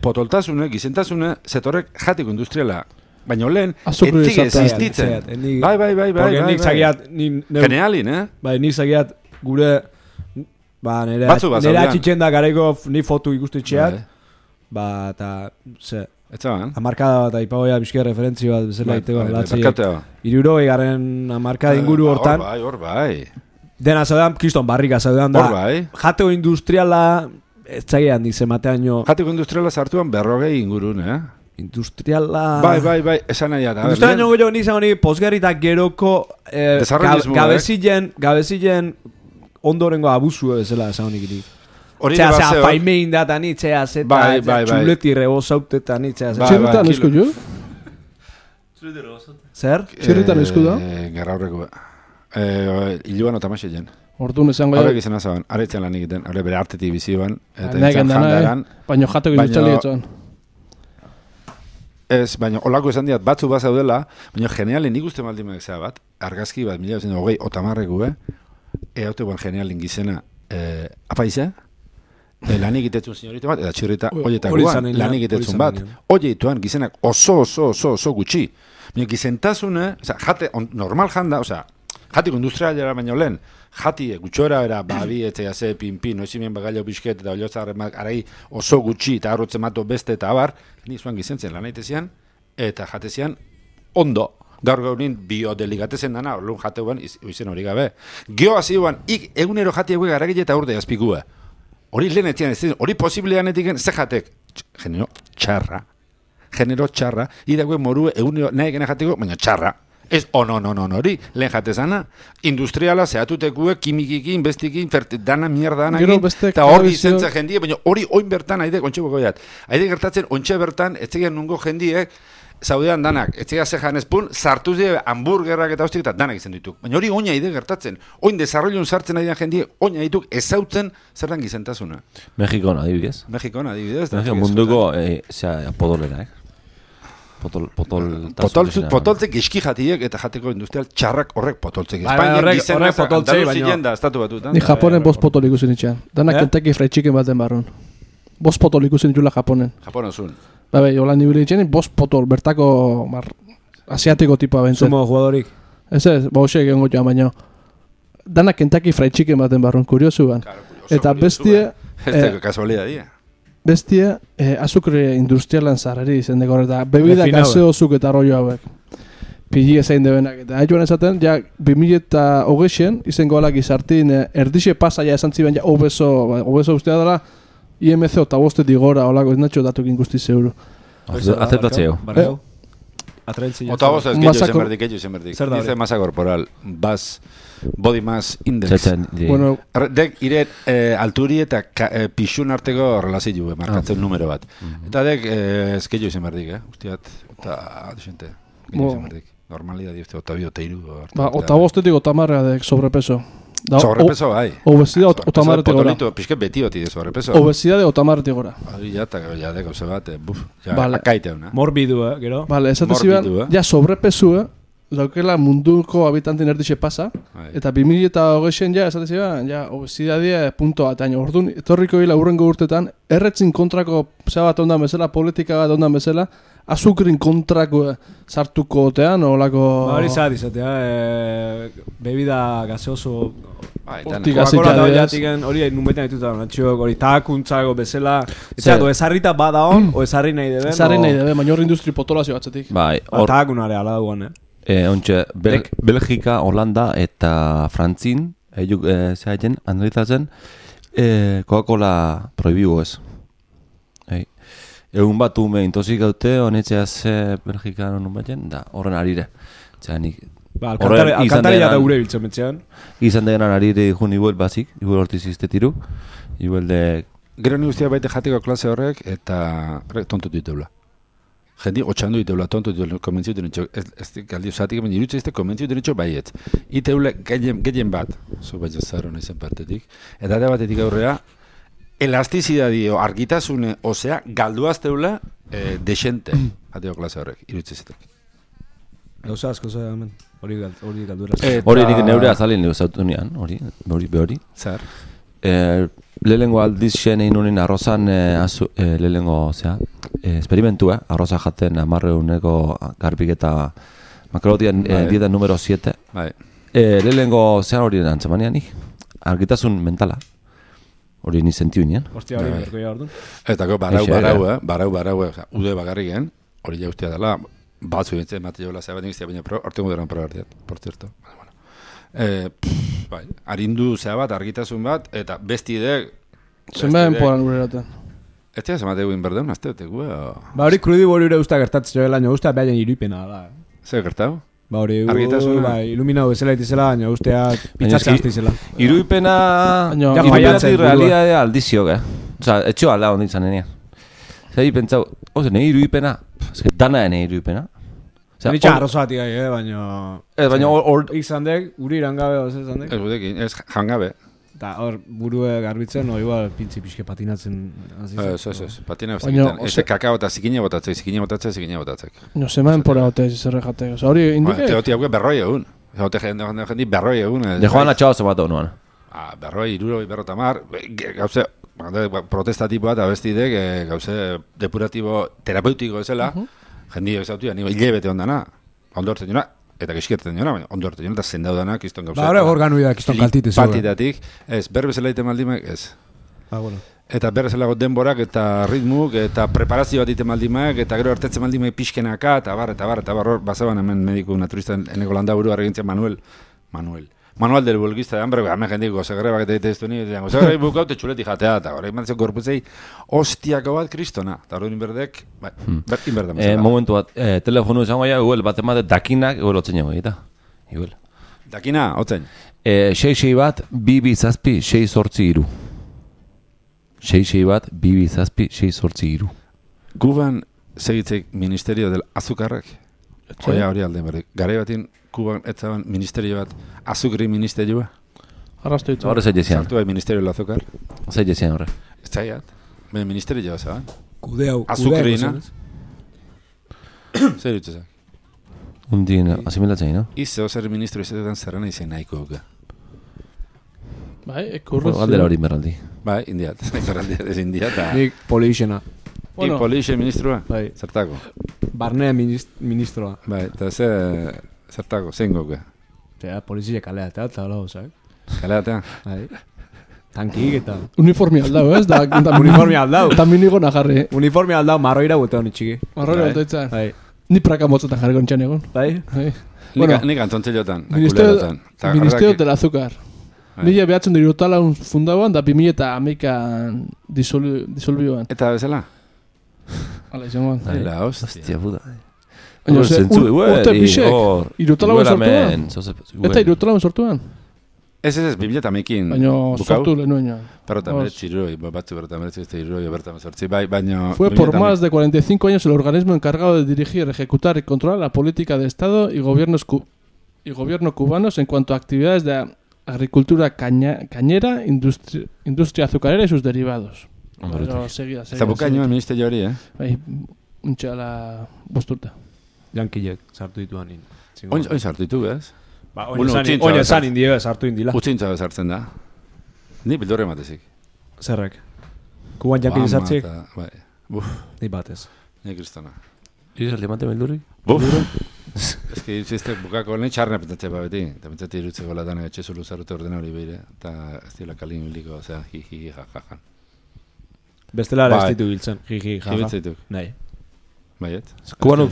potoltasune, gizentasune setorek jateko industriala. Baina lehen, etzik existitzen. Bai. Nik zagiat, Genialin, Bai, nik zagiat gure, nire atxitzen da gareko ni fotu ikustitxeak, eta, amarkada bat, aipagoia bizkia referentzio bat, bezala iteko, latziek, 60 amarkada inguru hortan. Hor bai. Dena zaudean, kiston barrika zaudean da, jateko industriala, ez zagiat nik zematean jateko industriala sartuan 40 ingurun, Industriala... Bai, esan nahi da. Industriala niongo jo nizan hori posgerrita geroko gabezillen ondorengo abusu bezala esan honik iri. Txea, faimein data ni, txea, zeta, txuleti rebozaute ni, txea, zeta. Txirritan esku jo? Zer? Txirritan esku da? Gerra horreko. Iluan otamaxe jen. Orduan esango horrek izan azaban, aretzen lan egiten, hori bere artetik bizioan. Negen dana, baina jateko industriali etxoan. Ez, baina olako esan diat batzu bat zaudela, baina genialen nik uste maldimak zea bat, argazki bat, 1920 otamarreku, haute guan genialen gizena apaize, lan egitetzun sinyorita bat, eta txirrita oietakoan lan egitetzun bat. Oietuan gizenak oso gutxi. Baina gizentasune, jate, normal janda, Jatiko industrialera baino lehen, gutxora era, babi, etzea ze, pinpin, noizimien bagailo bisket, eta oliozarremak arai oso gutxi, eta arrotzen mato beste, eta abar, ni zuan gizentzen lan aitezian, eta jatezian ondo. Gaur gaurin biodeligatezen dana, orlun jateuan izen hori gabe. Gio hazioan, egunero jatiague garagile eta urde azpikua. Hori lehen etzian, hori posiblean etiken, ze jatek? Genero txarra, idague morue egunero nahi gena jateko, baina txarra. Ez, no, hori, lehen jatezana, industriala zehatutekue, kimikikin, bestikin, dana mierda eta hori zentza jendie, baina hori oin bertan, haide, ontxe bokoiat. Haide gertatzen, ontxe bertan, ez zegean nungo jendiek, zaudean danak, ez zega zejan espun, sartuz dira hamburgerrak eta hostik eta danak izan dituk. Baina hori oina ide gertatzen. Oin desarrollun sartzen ari da jendie, oina dituk ezautzen zertan gizentasuna. Mexikon adibidez. Munduko podolera, Potoltzek eski jatiek eta jateko industrial txarrak horrek potoltzek. Espainiak gizena Andaluzien da, estatu batutan. Ni Japonen bost potol ikusen itxean. Danak Kentucky Fried Chicken baten barrun. Bost potol ikusen itxula Japonen. Japonen zuen. Hola nibili itxean, bost potol, bertako asiatiko tipoa bentzen. Sumo jugadorik. Ez, hoxe egongo joan baino. Danak Kentucky Fried Chicken baten barrun, kuriosu ban. Eta bestie... Ez kasualidadia. Bestie, azukre industrialan zarreri izen deko eta bebida gaseozuk eta arroio hauek. Pili ezain debenak. Eta haituan esaten, ja, 2008 izango alak izartin erdixe pasaia esan ziben, ja, obeso ustea dela, IMC eta bostetik gora, holako, ez natxo datukin guzti zeuru. Aceptatzeo. Ota bost ez gehiago izen berdik. Dice masa corporal, body mass index. Bueno, dek ire alturi eta pixun arteko relazio markatzen numero bat. Eta dek ez gehiago izen berdik, ustiat, eta desente, gehiago izen berdik. Normalidad dizte, ota bi, ota iru. Ota bostetik otamarra dek sobrepeso. Sobrepeso bai. Obesidad otamarretik gora. Pisket beti oti de sobrepeso. Obesidad otamarretik gora. Hori ja, de gauze bat, akaite una. Morbidu, gero. Vale, esate ziban, ja sobrepesu, daukela munduko habitantin erdixe pasa, eta 2008 ja, esate ziban, ja, obesidadie punto bat, aino, orduan, etorriko hila urrengo urtetan, erretzin kontrako bat ondan bezala, politika bat ondan bezala, azukrin kontrako sartuko otean, olako... Hori zat izatea, bebida gaseoso... Coca-Cola da jatiken, hori nunbetan dituta, natxiok, hori takuntzako bezala... Etxeatu, ezarrita bada hon, o ezarri nahi deben... Ezarri nahi deben, baina hor industri potolazio batzetik. Bai, hor... Takunare ala duan, Ontxe, Belgika, Holanda eta Frantzin, zehaiten, analizatzen, Coca-Cola prohibigu ez. Egun bat ume intozik gaute, honetxeaz Belgikan honun baten, da horren arire. Alkantaria da gure biltzen betzean. Izan degenan arire jun ibuel bazik, ibuel hortiz iztetiru. Ibuel de... Gero ni guztia baite jateko klase horrek, eta tontu diteula. Jendi, otxandu diteula, tontu diteula, konbentziu denetxo. Ez galdi usatik, baina irutze izte konbentziu denetxo baiet. Iteule gehien bat, zu baita zaron izan partetik. Eta da batetik aurrea, elastizidadio argitasune, osea, galduazteula desente, jateko klase horrek, irutze iztetik. Gauza asko zera, hemen, hori galduera. Hori nik neure azalin lehuz autunean, hori. Zer? Lehengo aldiz xen egin honin arrozan lehengo, esperimentua, arroza jaten 10.000 garbik eta makrotian dieta numero 7. Lehengo zean hori antzemanean nik, argitasun mentala. Hori ni sentiu inean. Hostia, hori berko ja orduan. Eta barau, ude bagarriken, hori ja ustea dela, batzu bintzen, mate jola zeba niztia, baina ortengo deran probartiat, por cierto. Arindu zea bat, argitasun bat, eta besti idek... Zenbeen poran gure eraten. Ez tira zemate egin berdeun, azte betekue, hori krudi bori ure usta gertatzen joan laino, usta behaien iruipena da. Zer gertau? Hori, iluminau bezala itizela, baina ustea pitzatzen azte iruipena... Iruipenatik realidadea aldizio, Osa, etxo alda hondi izan nenean. Zer, pentsau, nahi iruipena, dana nahi iruipena. Nitxa arrozatik gai, baina... Baina hor... Izan dek, guri irangabe, oz izan dek? Ez gudekin, ez jangabe. Eta hor burue garbitzen, igual pintzi pixke patinatzen. Ez, patina bezakiten. Ez kakao eta zikine botatzek. No, zeman pora hote zerre jatek. Hori indike... Teoti hauke berroi egun. Hote jendi berroi egun. De joan atxao zematu honuan. Berroi, iruro, berrotamar. Gauze, protestatiboa eta bestidek, gauze depuratibo terapeutiko ezela. Jendi egzautu, hilebete ondana. Ondo hortzen juna, eta gizkierten jona, baina ondo hartu jona, eta zendaudanak, izton gauza. Ba, hori organuidak izton kaltite zuen. Partitatik, ez, berbezela ite maldimek, ez. Bueno. Eta berbezelago denborak, eta ritmuk, eta preparazio bat ite maldimek, eta gero hartetzen maldimek pixkenaka, eta bar, bazaban hemen mediku naturista eneko landaburu arregintzen Manuel del Bulgista, hambre, hemen jendik gozagre bakete egite ez du ni, gozagre bukaute txuleti jatea, eta hori mantzeko gorputzei, hostiako bat kristona, eta hori inberdek, inberda mazela. Momentu bat, telefonu izango ja, igual, bat emate dakinak, igual, otzen jago egita. Igual. Dakina, otzen? 6 bat, 2 zazpi, 6 sortzi iru. 6 bat, 2 zazpi, 6 sortzi iru. Kuban segitzeik Ministerio del Azukarrek? Oia hori alde berdik. Garai batin, Kuban etzaban ministerio bat, azukri ministerioa? Arrastu ditu. Horre zailezian. Sartu bai Ministerio del Azukar? Zailezian horre. Ez zaiat. Baina ministerioa zaban. Kudeau. Azukrina. Zer dutze zak? Undien, asimilatzen, no? Ize ozer ministro izatetan zerrena izan nahiko guka. Bai, ekurrez. Galdera hori merraldi. Bai, indiat. Merraldi ez indiat. Nik polixena. Bueno, polixe ministroa? Bai. Zertako? Barnea ministroa. Bai, eta zertako, zein goke? Eta polizia kaleatea, eta hola gozak. Kaleatea? Bai. Tankik eta... Uniformia aldau, ez? Uniformia aldau. Eta minigona jarri. Uniformia aldau, marroira gute honi txiki. Marroira gute itzan. Bai. Ni praka motzetan jarri gontxan egon. Bai. Nik antontzelotan. Ministerio del Azúcar. Mila behatzen dira utala fundauan, da 2011an disolbioan. Eta bezala? Hala izan guan. Ela, hostia puta. Urte pixek, irutalauen sortuan. Eta irutalauen sortuan. Ez, 2011ekin baina sortu lehenuen. Berrota meretzi iroi, batzu berrota meretzi este iroi, berrota mesortzi, bai, baina... Fue por más de 45 años el organismo encargado de dirigir, ejecutar y controlar la política de Estado y gobierno cubanos en cuanto a actividades de agricultura cañera, industria azucarera y sus derivados. Pero seguida. Zabuka nioen ministerio hori, Bai, untxala bosturta. Jankilek sartu dituan nin. Oin sartu ditu, ez? Ba, oin esan indio sartu indila. Utzintza bezartzen da. Ni bildorre matezik. Zerrek? Kuban jankile sartzik? Bai. Buf. Ni batez. Ni kristona. Izaldi mate bildurri? Buf. Ez que izizte bukako nahi txarna pentsatze ba beti. Eta pentsatze irutzeko latan etxe zulu zarrute ordena hori behire. Eta ez dira kalin hiliko, osea, jiji, jajajan. Bestela ez ditu biltzen, jiji, jaja. Jibitzeituk. Nahi. Baiet. Kuban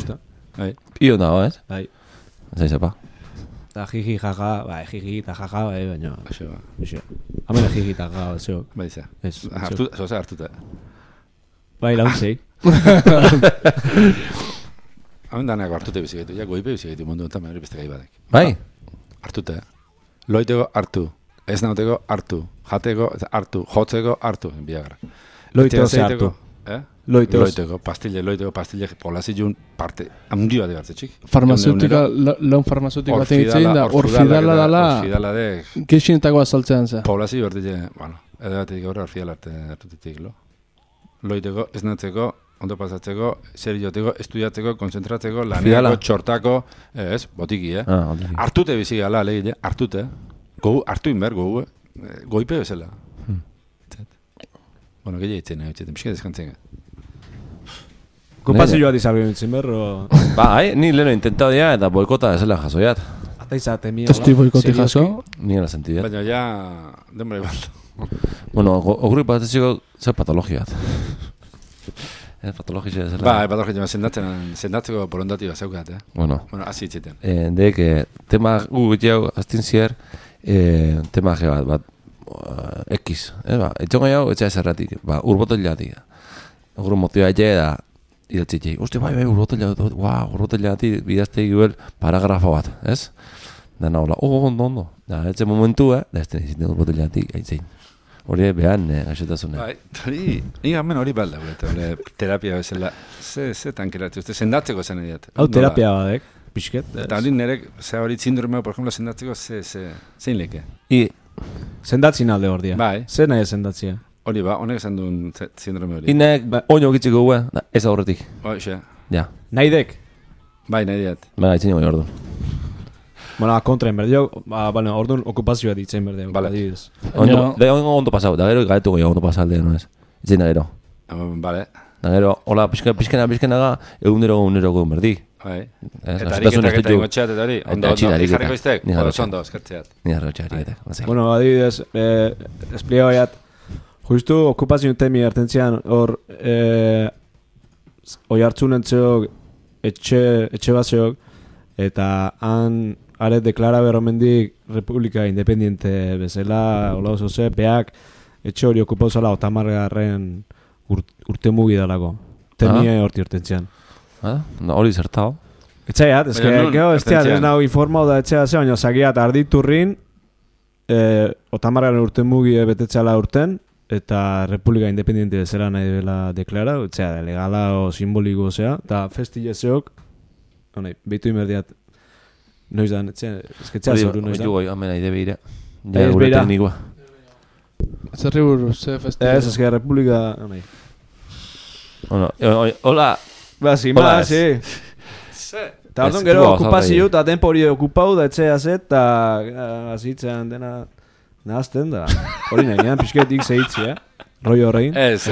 Bai. Io nago, ez? Bai. Zaizepa. Eta jiji, jaja, bai, jiji eta jaja, bai, baina... Aixo, ba. Aixo. Hamela jiji eta jaja, zeo. Bai, za. Ez. Zoza hartuta. Bai, launtzei. Hamen danako hartute bizigaitu, ja goipe bizigaitu mundu enten, hori beste gai badek. Bai? Hartute. Loiteko hartu. Ez nauteko hartu. Jateko hartu. Jotzeko hartu. Biagra. Loiteko ze hartu. Loiteko, pastille, polazilun parte, handi bat egartze txik. Farmazeutika, laun farmazeutika baten itzein da, orfidala dala, geixinetako azaltzean za. Polazio bertile, bueno, edo batetik gaur orfidala hartutetik, lo. Loiteko, esnatzeko, ondo pasatzeko, serioteko, estudiatzeko, konzentratzeko, laneko, txortako, ez, botiki, hartute bizi gala, lehile, hartute, hartu inber, goipe bezala. Bueno, gehi eitzen, pixka deskantzen. Kompazioa dizabio nintzen berro... Bai, ni leheno intentado ya, eta boikota esela jasoiat. Ata izate, mi... Testi boikoti jaso? Ni la sentidet. Baina ja, denbora igual. Bueno, oguri pateziko zer patologiat. Patologizia zela. Ba, patologizia, sendatzeko borondati bat zeukat, Bueno, hasi itziten. Dek, tema gutiago, aztin zier, tema bat, X, etxongo jau, etxea zerratik, urbotelatik. Oguru motioa da, idatzitei, uste, bai, urbotelatik, bidazte iguel paragrafo bat, ez? Da nahola, ondo. Da, etxe momentu, da ez teniziten urbotelatik, haitzein. Hori behan, gaixotasune. Bai, ni gamen hori balda, terapia bezala, ze tankeratu, sendatzeko zen ediat. Hau terapia badek, pixket. Eta hori nerek, ze hori sindromeo, por ejemplo, sendatzeko, zein leke. Sendatzin alde hor dia. Bai. Zer nahi sendatzia? Hori ba, honek esan duen sindrome hori. Inek oino gitziko gue, ez aurretik. Hoxe. Ja. Nahi dek? Bai, nahi diat. Baina, itzen joi orduan. Bueno, kontraen berdio, orduan okupazioa ditzen berdio. Bale. Ondo pasau, da gero gaetu goi ondo pasalde, no ez? Itzen da gero. Bale. Da gero, hola, pixkena ga, egunero berdi. Eta ariketak eta ingotxeat eta hori, ondo jarriko iztek, ondo, eskertzeat. Ni arrotxa ariketak. Bueno, adibidez, esplio baiat, justu okupazio temi hartentzian hor oi hartzun entzeok etxe baseok eta han are deklara berromendik Republika Independiente bezala hola oso ze, beak etxe hori okupauzala otamargarren urte mugi dalako. Temie horti urtentzian. Hori zertao. Etxaiat, ez ez nago informau da etxea ze, baina zagiat arditurrin otamargarren urte mugi betetzeala urten eta Republika Independiente bezala nahi dela deklara, etxea, legala o simboliko zea, eta festilezeok, behitu imerdiat, noiz da, etxea zeuru noiz da. Hori, amena ide behira. Ja, gure teknikoa. Zerri buruz, ze festival? Ez que Republika, Hola. Ba, zima, zi. Eta orduan gero okupazio, eta tempo hori okupau da etxea zet, eta azitzean dena nahazten da. Hori nahi, pixketik zehitzi, Rollo horrein. Ez.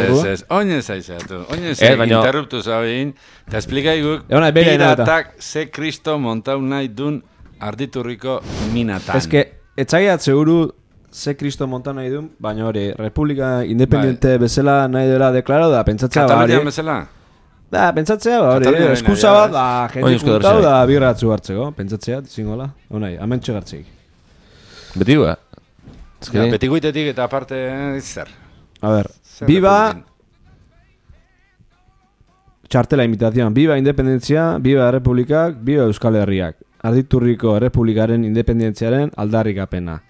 Oinez aizatu. Oinez interruptu zabein. Eta esplikaiguk, piratak ze kristo montau nahi dun arditurriko minatan. Ez que, etxagiat seguru ze kristo montau nahi dun, baina hori, Republika Independiente bezala nahi dela deklarau da, pentsatzea ba hori. Katalunian bezala? Da, pentsatzea ba hori, eskusa bat, da, jende juntau da birratzu hartzeko, pentsatzea, zingola. Honai, amentxe gartzeik. Beti ba? Beti guitetik eta aparte, zer. A ver, viva txartela imitación, viva independentzia, viva republikak, viva Euskal Herriak. Arditurriko Errepublikaren independentziaren aldarrikapena.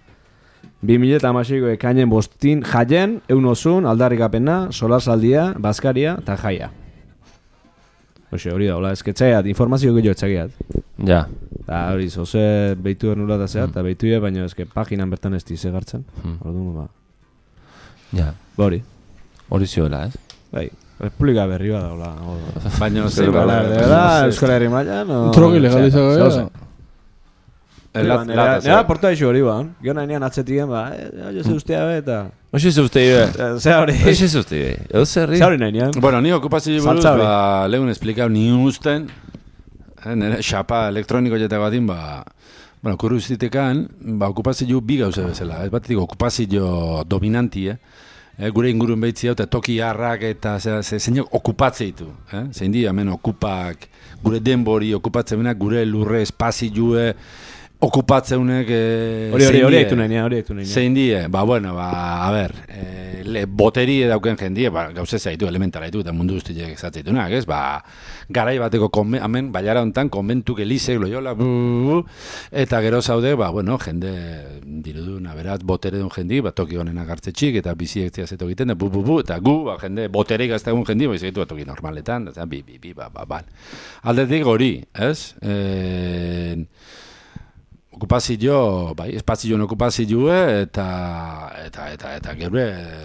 2016ko ekainen 5 jaien, eunosun, aldarrikapena, solasaldia, bazkaria eta jaia. Oxe, hori da, hola, esketxaiat, informazio gehiago etxagiat. Ja. Eta hori, zoze behitu ernula da zeat, eta behitu baina eske paginan bertan ez dize gartzen. Orduan, ba. Ja. Hori. Hori zioela, ez? Bai, Republika berri bada, hola. Baina, zer bada. De verdad, Euskal Herri mailan, o... Drogi legalizago, Nera porta eixo hori ba, gio nahi nian atzetien ba, oio ze ustea be eta... Oxe ze ustea be. Ze hori. Oxe ze ustea be. Ze hori nahi nian. Bueno, ni okupazio buruz, ba, lehun esplikau ni usten, nire xapa elektroniko jetako batin, ba... Bueno, kurruzitekan, ba, okupazio bi gauza bezala, ez batetik okupazio dominanti, gure ingurun behitzi hau, eta toki harrak eta zeinak okupatzea ditu, zein di, hemen okupak, gure denbori okupatzen benak, gure lurre espazioe, okupatzeunek hori ektu nahi. Zein die, ba, bueno, ba, a ber, boteri dauken jendie, ba, gauze zaitu, elementara ditu, eta mundu guztiak ezatzitunak, ez, ba, garai bateko, hemen, baiara hontan, konbentuk elizek, loiola, eta gero zaude, ba, bueno, jende, dirudun, aberat, botere duen jendi, ba, toki honenak hartzetxik, eta biziek zeazeto egiten, da, eta gu, ba, jende, boterik gaztagun jendi, ba, izagitu, toki normaletan, eta, ba, aldetik hori, ez, okupazio, bai, espazioen okupazioe eta gure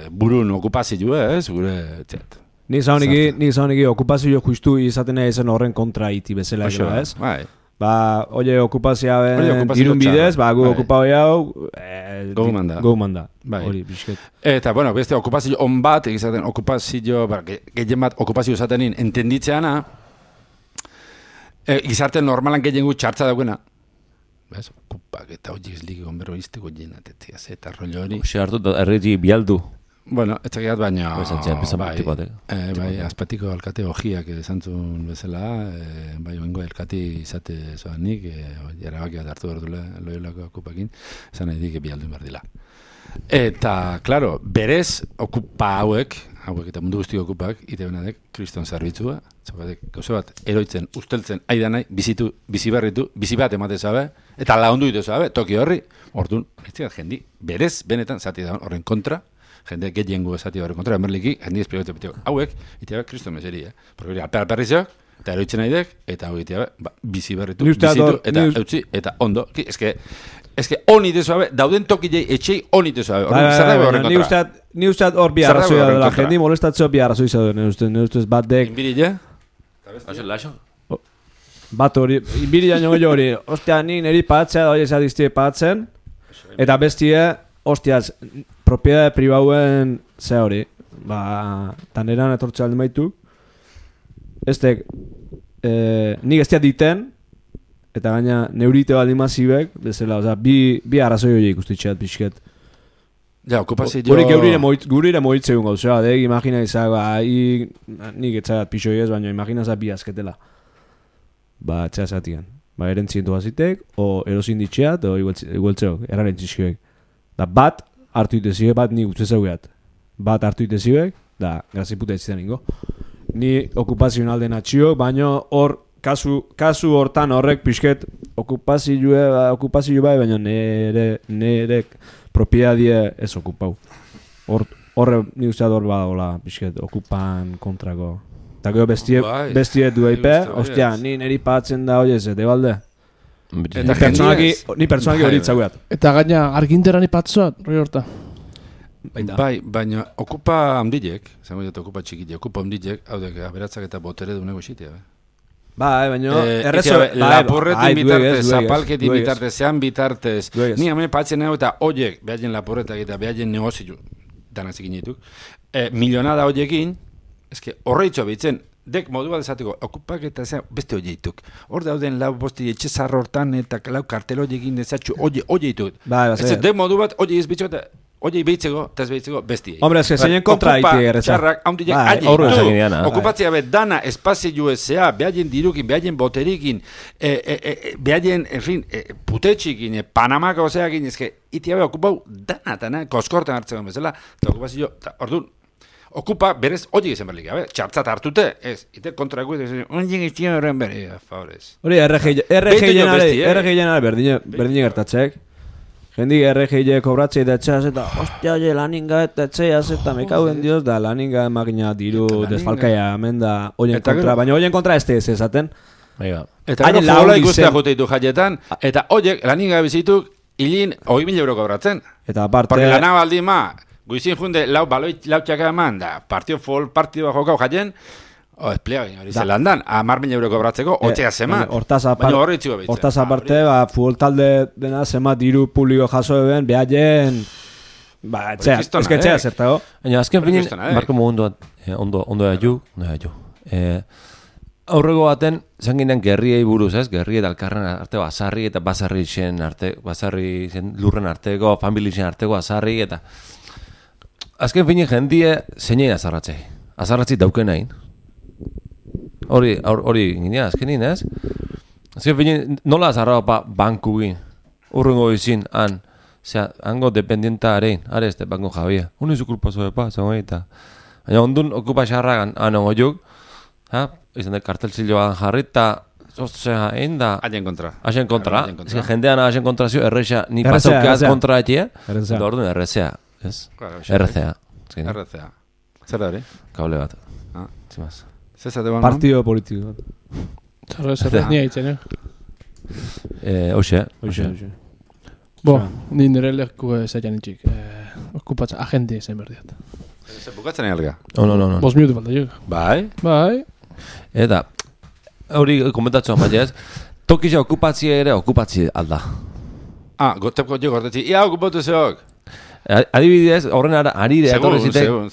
burun okupazioe, ez, gure, txet. Ni zauniki okupazio justu izaten zen horren kontra iti bezala, ez? Bai. Ba, oie okupazioa dirun bidez, ba, gu okupazio hau, gomanda. Bai. Hori, bisket. Eta, bueno, beste okupazio on bat, egizaten okupazio, gehien bat okupazio izatenin entenditzeana, gizarte normalan gehien gu txartza daukena. Bez, okupak eta hori ez ligi gombero izteko jenatetzea, eta rollo hori. Oxe hartu da erreti bialdu. Bueno, ez zagiat baina... Bai, azpatiko alkate hojiak esantzun bezala, bai, oingo elkati izate zoan nik, jarabaki bat hartu dut loiolako okupakin, esan nahi dik bialdu inberdila. Eta, klaro, berez okupa hauek eta mundu guztiko okupak, ite benadek, kriston zerbitzua, gauze bat, eroitzen, usteltzen, aidanai, bizi bat emate zabe, eta laundu ditu zabe, toki horri, orduan, ez dira, jendi, berez, benetan, zati da horren kontra, jende getiengu zati horren kontra, emerliki, jendi esplikatzen betiko, hauek, ite kriston meseri, porque hori alperrizok, eta eroitzen naidek, eta hori ite bizi berritu, bizitu, eta eutzi, eta ondo, eske honi dezuabe, dauden tokilei etxei honi dezuabe. Ni usteat hor bi arrazoia dela, jendi molestatzeo bi arrazoia zauden, ni ustez bat dek... Inbirille? Bat hori, inbirille nio hori, ostia, ni niri pagatzea da hori ezadiztie pagatzen, eta bestie, ostiaz, propiedade pribauen ze hori, ba, taneran etortzea alde maitu, ez dek, nik ez diten, eta gaina neurite baldin mazibek, bezala, oza, bi arrazoi hori ikustitxeat pixket. Ja, okupazio... Hori gurire moitzegun gauzea, imagina izak, nik etxagat pixoi ez, baina imagina izak bi azketela. Ba, etxea zatigan. Ba, erentzientu bazitek, o erosin ditxeat, o igueltzeok, erraren txizkiek. Da, bat hartu itezibek, bat nik utzezeugeat. Bat hartu itezibek, da, graziputa ez zidan ingo. Ni okupazioan alden atxiok, baina hor, kasu hortan horrek pixket okupazio bai, baina nire propiedadie ez okupau. Horre, ni usteat hor badagoela pixket okupan kontrako. Eta gero bestiet du eipe, ostia, ni niri patzen da hori ez, balde? Ni pertsonaki hori itzaguat. Eta gaina arginteran ipatzoat, roi horta. Bai, baina okupa hamdilek, zango dut okupa txikile, okupa hamdilek, hau dek, aberatzak eta botere du nego xitea, Bai, baina lapurretin bitartez, zapalketin bitartez, zean bitartez, ni hemen patzen nago eta oiek, behaien lapurretak eta behaien negozio, danaz egin dituk, milionada oiekin, eske horreitzo behitzen, dek modu bat esateko, okupak eta beste oieituk. Hor dauden lau bosti etxezar hortan eta lau kartel oiekin dezatxu oieituk. Ez dek modu bat oiei ez bitxo eta oiei behitzeko, eta ez behitzeko besti. Hombre, ez que zeinen kontra haiti erreza. Txarrak, haundiek aile. Okupatzea bet dana espazio ezea, behaien dirukin, behaien boterikin, behaien, en fin, putetxikin, Panamako ozeakin, ezke, itia beha okupau dana, koskorten hartzeko bezala, eta okupazio, orduan, okupa berez hori izan berlik, txartzat hartute, ez, ite kontraku, onien izan horren bere, favorez. Hori, RG jenare berdine gertatzek. Jendik RG kobratzei da etxeaz eta, ostia, oie, laninga eta etxeaz eta mekauen dioz da, laninga makina diru desfalkaia hemen da oien kontra, baina oien kontra ez esaten. Eta gero futbola ikustea jute ditu jaietan, eta oiek laninga bizituk hilin 20.000 euro kobratzen. Eta aparte... Porque lana baldin ma, guizin junde lau txaka eman da, partio jokau jaien, esplega hori zelandan, 10.000 euro kobratzeko, otxea zemat. Baina horri txiko behitzen. Hortaz aparte, futbol talde dena zemat diru publiko jaso eben, behaien... Ba, etxea, ezketxea zertago. Baina, azken finin, Marko ondo ju. Aurrego baten, zan ginen gerriei buruz, ez? Gerri eta alkarren arte basarri eta basarri zen lurren arteko, familien arteko basarri eta... Azken finin jendie zeinein azarratzei. Azarratzi dauken hain. Hori ginean, azkenin, ez? Azken finin, nola azarra banku gin? Urrengo izin, hango dependienta arein, are este banko jabia. Hone zu kulpazo epa, zango eta. Baina ondun okupa xarragan, anongo juk, izan da kartelzilloan jarri, eta zozea egin da... Haien kontra. Haien kontra. Ez jendean haien kontra zio, errexea, ni pasaukeaz kontra etia, eta orduan errexea. Ez? RCA. RCA. Zer da hori? Kable bat. Zimaz. Partido politiko. Zer nia hitzen, Oxe. Bo, ni nire leku zailan itxik. Okupatzen, agente zen berdiat. Bukatzen alga? No. 5 minutu falta juk. Bai. Eta, hori komentatzen bat ez, tokizia okupatzie ere okupatzie alda. Gotepko jo gortetzi. Ia okupatu zeok. Adibidez, horren arire etorri zitek. Segun,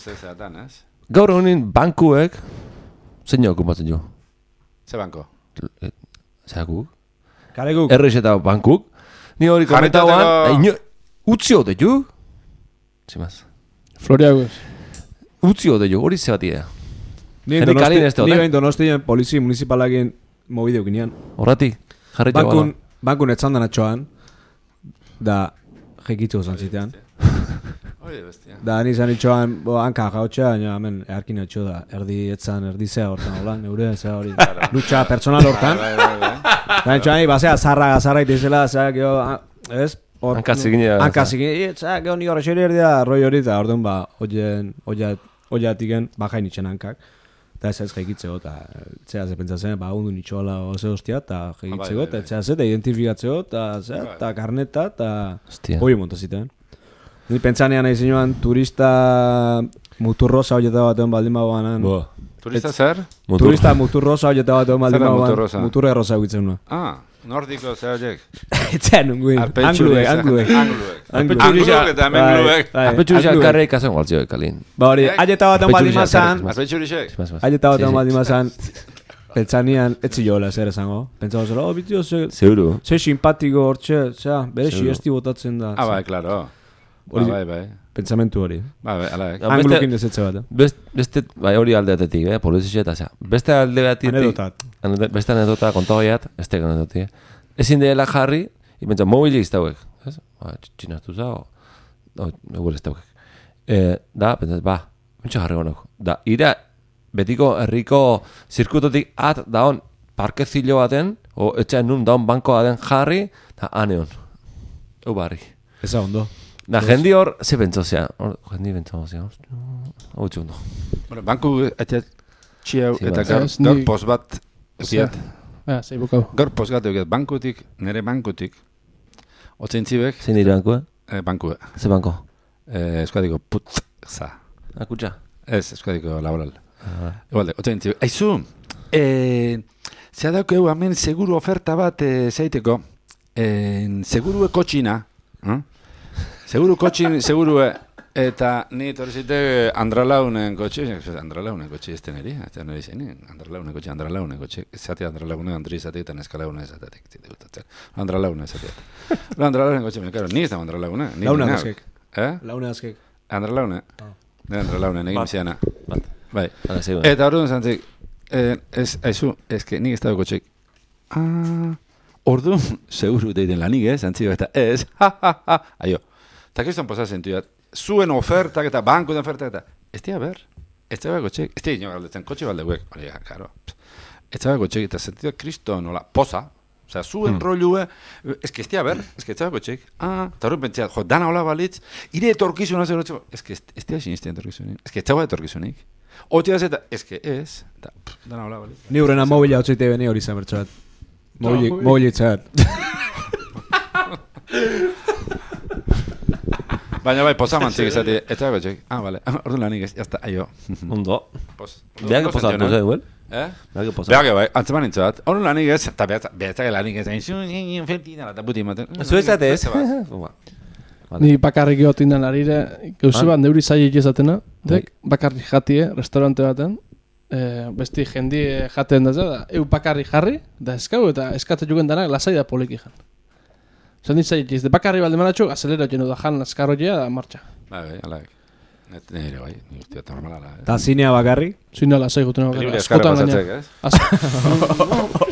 ez? Gaur honin bankuek, zein okupatzen jo? Ze banko? Zeakuk? Kareguk? Errex eta bankuk. Ni hori komentagoan, utzi hode jo? Zimaz. Floriaguz. Utzi hode jo, hori zebatia. Ni bain Donostien polizi municipalakin mobide ukinean. Horratik, jarri jo bala. Bankun etzandan atxoan, da jekitzu zantzitean. Da, nizan itxoan, hanka jautxea, baina hemen earkin atxo da, erdi etzan, erdi zea hortan, hola, neure, zea hori, lucha personal hortan. Da, itxoan, basea, zarra itizela, zea, geho, ez? Hanka zigine. Hanka zigine, zea, geho, ni horrexeri erdi da, roi hori, eta orduan, ba, oiatiken, bajain itxen hankak. Eta ez jaikitzeko, eta zea ze pentsatzen, ba, hundu nitxoala oze hostia, eta jaikitzeko, eta zea ze, eta identifikatzeko, eta karneta, eta hori montazitean. Ni pentsanean nahi zinuan turista muturrosa horieta batean baldin bagoan. Turista zer? Turista muturrosa horieta batean baldin bagoan. Muturre rosa egitzen nuen. Nordiko zer horiek? Etxean nunguen, angluek. Angluek eta mengluek. Apetxurizak karreik azen gualtzioek, kalin. Ba hori, aieta batean baldin mazan. Apetxurizek? Aieta batean baldin mazan. Pentsanian, etzi jola zer esango. Pentsako zela, bitio, Seguro. ze simpatiko hortxe, bere siesti botatzen da. Bai, claro. Bai. Pentsamentu hori. Bai, alaik. Anglukin dezetze bat. Beste, bai hori aldeatetik, polizia eta zea. Beste aldeatetik. Beste anedota kontagoiat, ez teka anedotik. Ezin dela jarri, ipentsa, mobilik iztauek. Ez? Txinaztu zao. Egur ez daukek. Da, pentsat, mentxe jarri gonok. Da, ira, betiko herriko zirkutotik daon parkezilo baten, o etxean nun daon banko baten jarri, da, aneon. Barri. Eza ondo. Da, jendi hor, ze pentsozea. Jendi pentsozea. Hau txundo. Bueno, banku eta txiau eta gaur pos bat egiat. Zei bukau. Gaur pos bat egiat. Bankutik, nire bankutik, otzen zibek. Zein dira banku, Banku. Ze banko? Euskadiko putza. Akutxa? Ez, Euskadiko laboral. Igualde, otzen zibek. Aizu, zea daukeu hemen seguru oferta bat zeiteko. Segurue kotxina. Seguru kotxin, segurue. Eta ni torzite Andralaunen kotxe ez teneri. Andralaunen kotxe. Zati Andralaunen, Andri zateetan eskalaunen zateetik. Andralaunen zateetan. Andralaunen kotxe, karo, ni ez da Andralaunen. Laune azkek. Laune azkek. Andralaunen. Andralaunen, egin ziana. Bai. Eta orduan zantzik, nik ez da kotxek. Orduan, seguru deiten lanik zantzik, eta ez, aio. Eta kriston posazen tuat. Zuen ofertak eta banko den ofertak eta ez dira ber, ez dira kotxek, ez dira galdetzen kotxe baldeuek, hori, karo, ez dira kotxek eta sentido kristo nola, posa, osea, zuen rolue, ez dira ber, ez dira kotxek, eta horren pentsia, dana hola balitz, ire etorkizuna zer hotxeko, ez dira sinistia etorkizunik, ez dira etorkizunik, hotxea ez eta, ez, dana hola balitz. Ni hurrena mobila hotxeite beni hori zamertxoat, mobilitzeat. Baina bai, posamantzik izati, ez dago txek. Bale, orduan lanik ez, jazta, aio. Ondo. Beak posatu ze, duel? Beak posatu. Beak bai, antzeman nintzuat. Orduan lanik ez, eta behatzak lanik ez, feltina, eta buti ematen. Zuezate ez? Ni bakarrik geotin den arire, gauzu bat neuri zailik ezatena, bakarrik jatie, restaurante baten, besti jendi jaten da, bakarrik jarri, da eskau, eta eskatzen jugen danak lasai da poliki jan. Zan ditzaiek ez, de bakarri balde manatxo, azelero jenu da jan azkarroia da martxa. Bai, alaik. Nire bai, nire eta normalala. Ta zinea bakarri? Zinea lasai gutena bakarri. Libre eskarra pasatzek, ez?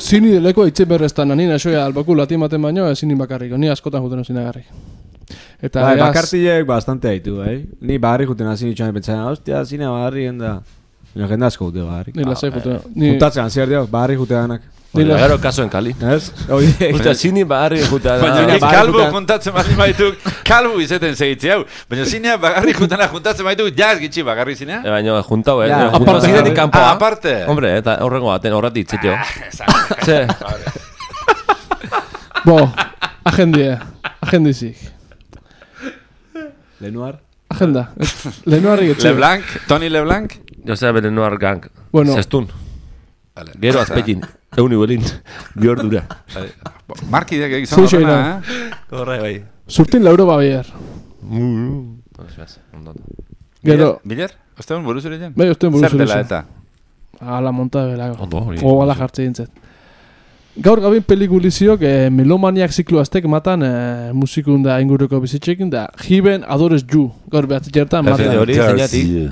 Zini deleko itxe berreztan, nina soia albaku latimaten baino, zini bakarriko, ni askotan jutena zina garri. Eta bakartilek bastante haitu, Ni bakarri jutena zini txan pentsana, hostia, zinea bakarri genda. Nire jenda asko jute bakarri. Ni lasai jutena. Juntatzen, ziar diok, bakarri jute danak. Gero kaso en Cali. Ez? Usta, zini bagarri juta da. Baina kalbu kontatzen bali maituk, kalbu izeten segitzi hau. Baina zinea bagarri jutana juntatzen maituk, jaz gitxi bagarri zinea? Baina juntau, Zinetik kanpoa. Aparte. Hombre, eta horrengo baten, horrati itzitio. Ze. Bo, agendizik. Lenoir? Agenda. Lenoirri getxe. Leblanc, Toni Leblanc? Josea Lenoir gang. Bueno. Zestun. Gero azpekin. Euni bolin, bihordura. Markideak egizan horrena, Horre, bai. Surtin lauro babier. Gero... Biler? Osteun buruz ere jen? Bai, osteun buruz ere jen. Zer dela eta? Ala monta belago. Ondo, hori. O ala jartze dintzet. Gaur gabin pelikuliziok melomaniak ziklu aztek matan musikunda inguruko bizitxekin da Given Adores You. Gaur behatzi jertan matan. Hori, zeinati.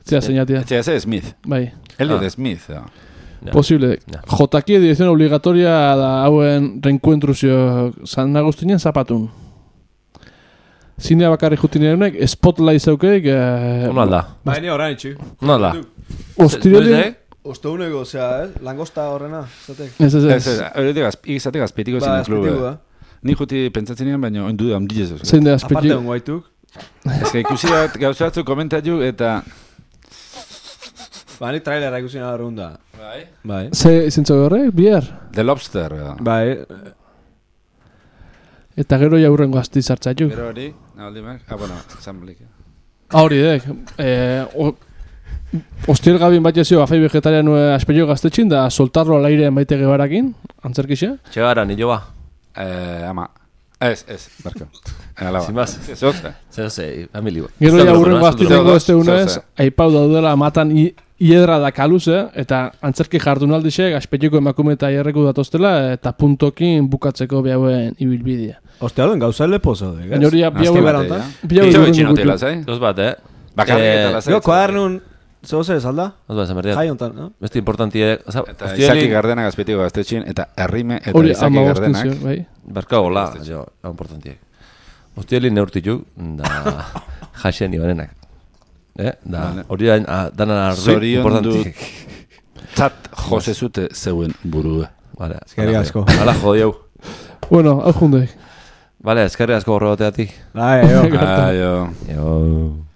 Zia, zeinatia. Zia, Smith. Bai. Elliot Smith, Posible. Jotaki edición obligatoria da hauen reencuentruzio San Agustinen zapatun. Zinea bakarri jutinerunek, Spotlight zaukeik... Ono alda. Baina horrein itxu. Ono alda. Ostireli... Osteuneko, langosta horrena. Ez. Izatek azpitiko zinen klube. Ni juti pentsatzenean, baina oindu da ondilez. Zein da azpitiko. Aparte ongo haituk. Ez que ikusi bat gauzatzu komentatu eta... Ni trailera ikusi nada runda. Bai. Ze izentzo horrek, bihar? The Lobster. Bai. Eta gero jaurrengo azti zartzaiuk. Gero hori, naldimak. Bueno, zanblik. Hori dek. Ostiel gabin bat jazio, afei vegetarian aspello gaztetxin, da soltarro al aire maite gebarakin, antzerkixe. Txegara, nilo ba. Ama. Ez, barko. Sin más. Zer, amili. Gero ja urrengo astilengo este unez, aipau daudela matan hiedra da kaluze, eta antzerki jardunaldixe, gaspetiko emakume eta hierreku datoztela, eta puntokin bukatzeko bihauen ibilbidea. Ostia, duen gauza lepo zaude, gaz? Gainoria bihauen Itxo bitxinotela, zai? Dos bat, Bakarrik Gero, kuadernun, zego zer salda? Dos bat, esan Jai hontan, no? Beste importantie... Eta Izaki Gardenak azpetiko gaztetxin, eta Herrime eta Izaki Gardenak. Barka gola, jo, importantiek. Ostieli neurtituk, da jaxen ibanenak. Da, hori danan arri importantiek. Zat jose zute zeuen burue. Vale, eskerrik asko. Hala jodiau. Bueno, hau jundek. Vale, eskerrik asko horregoteatik. Aio. Aio. Aio.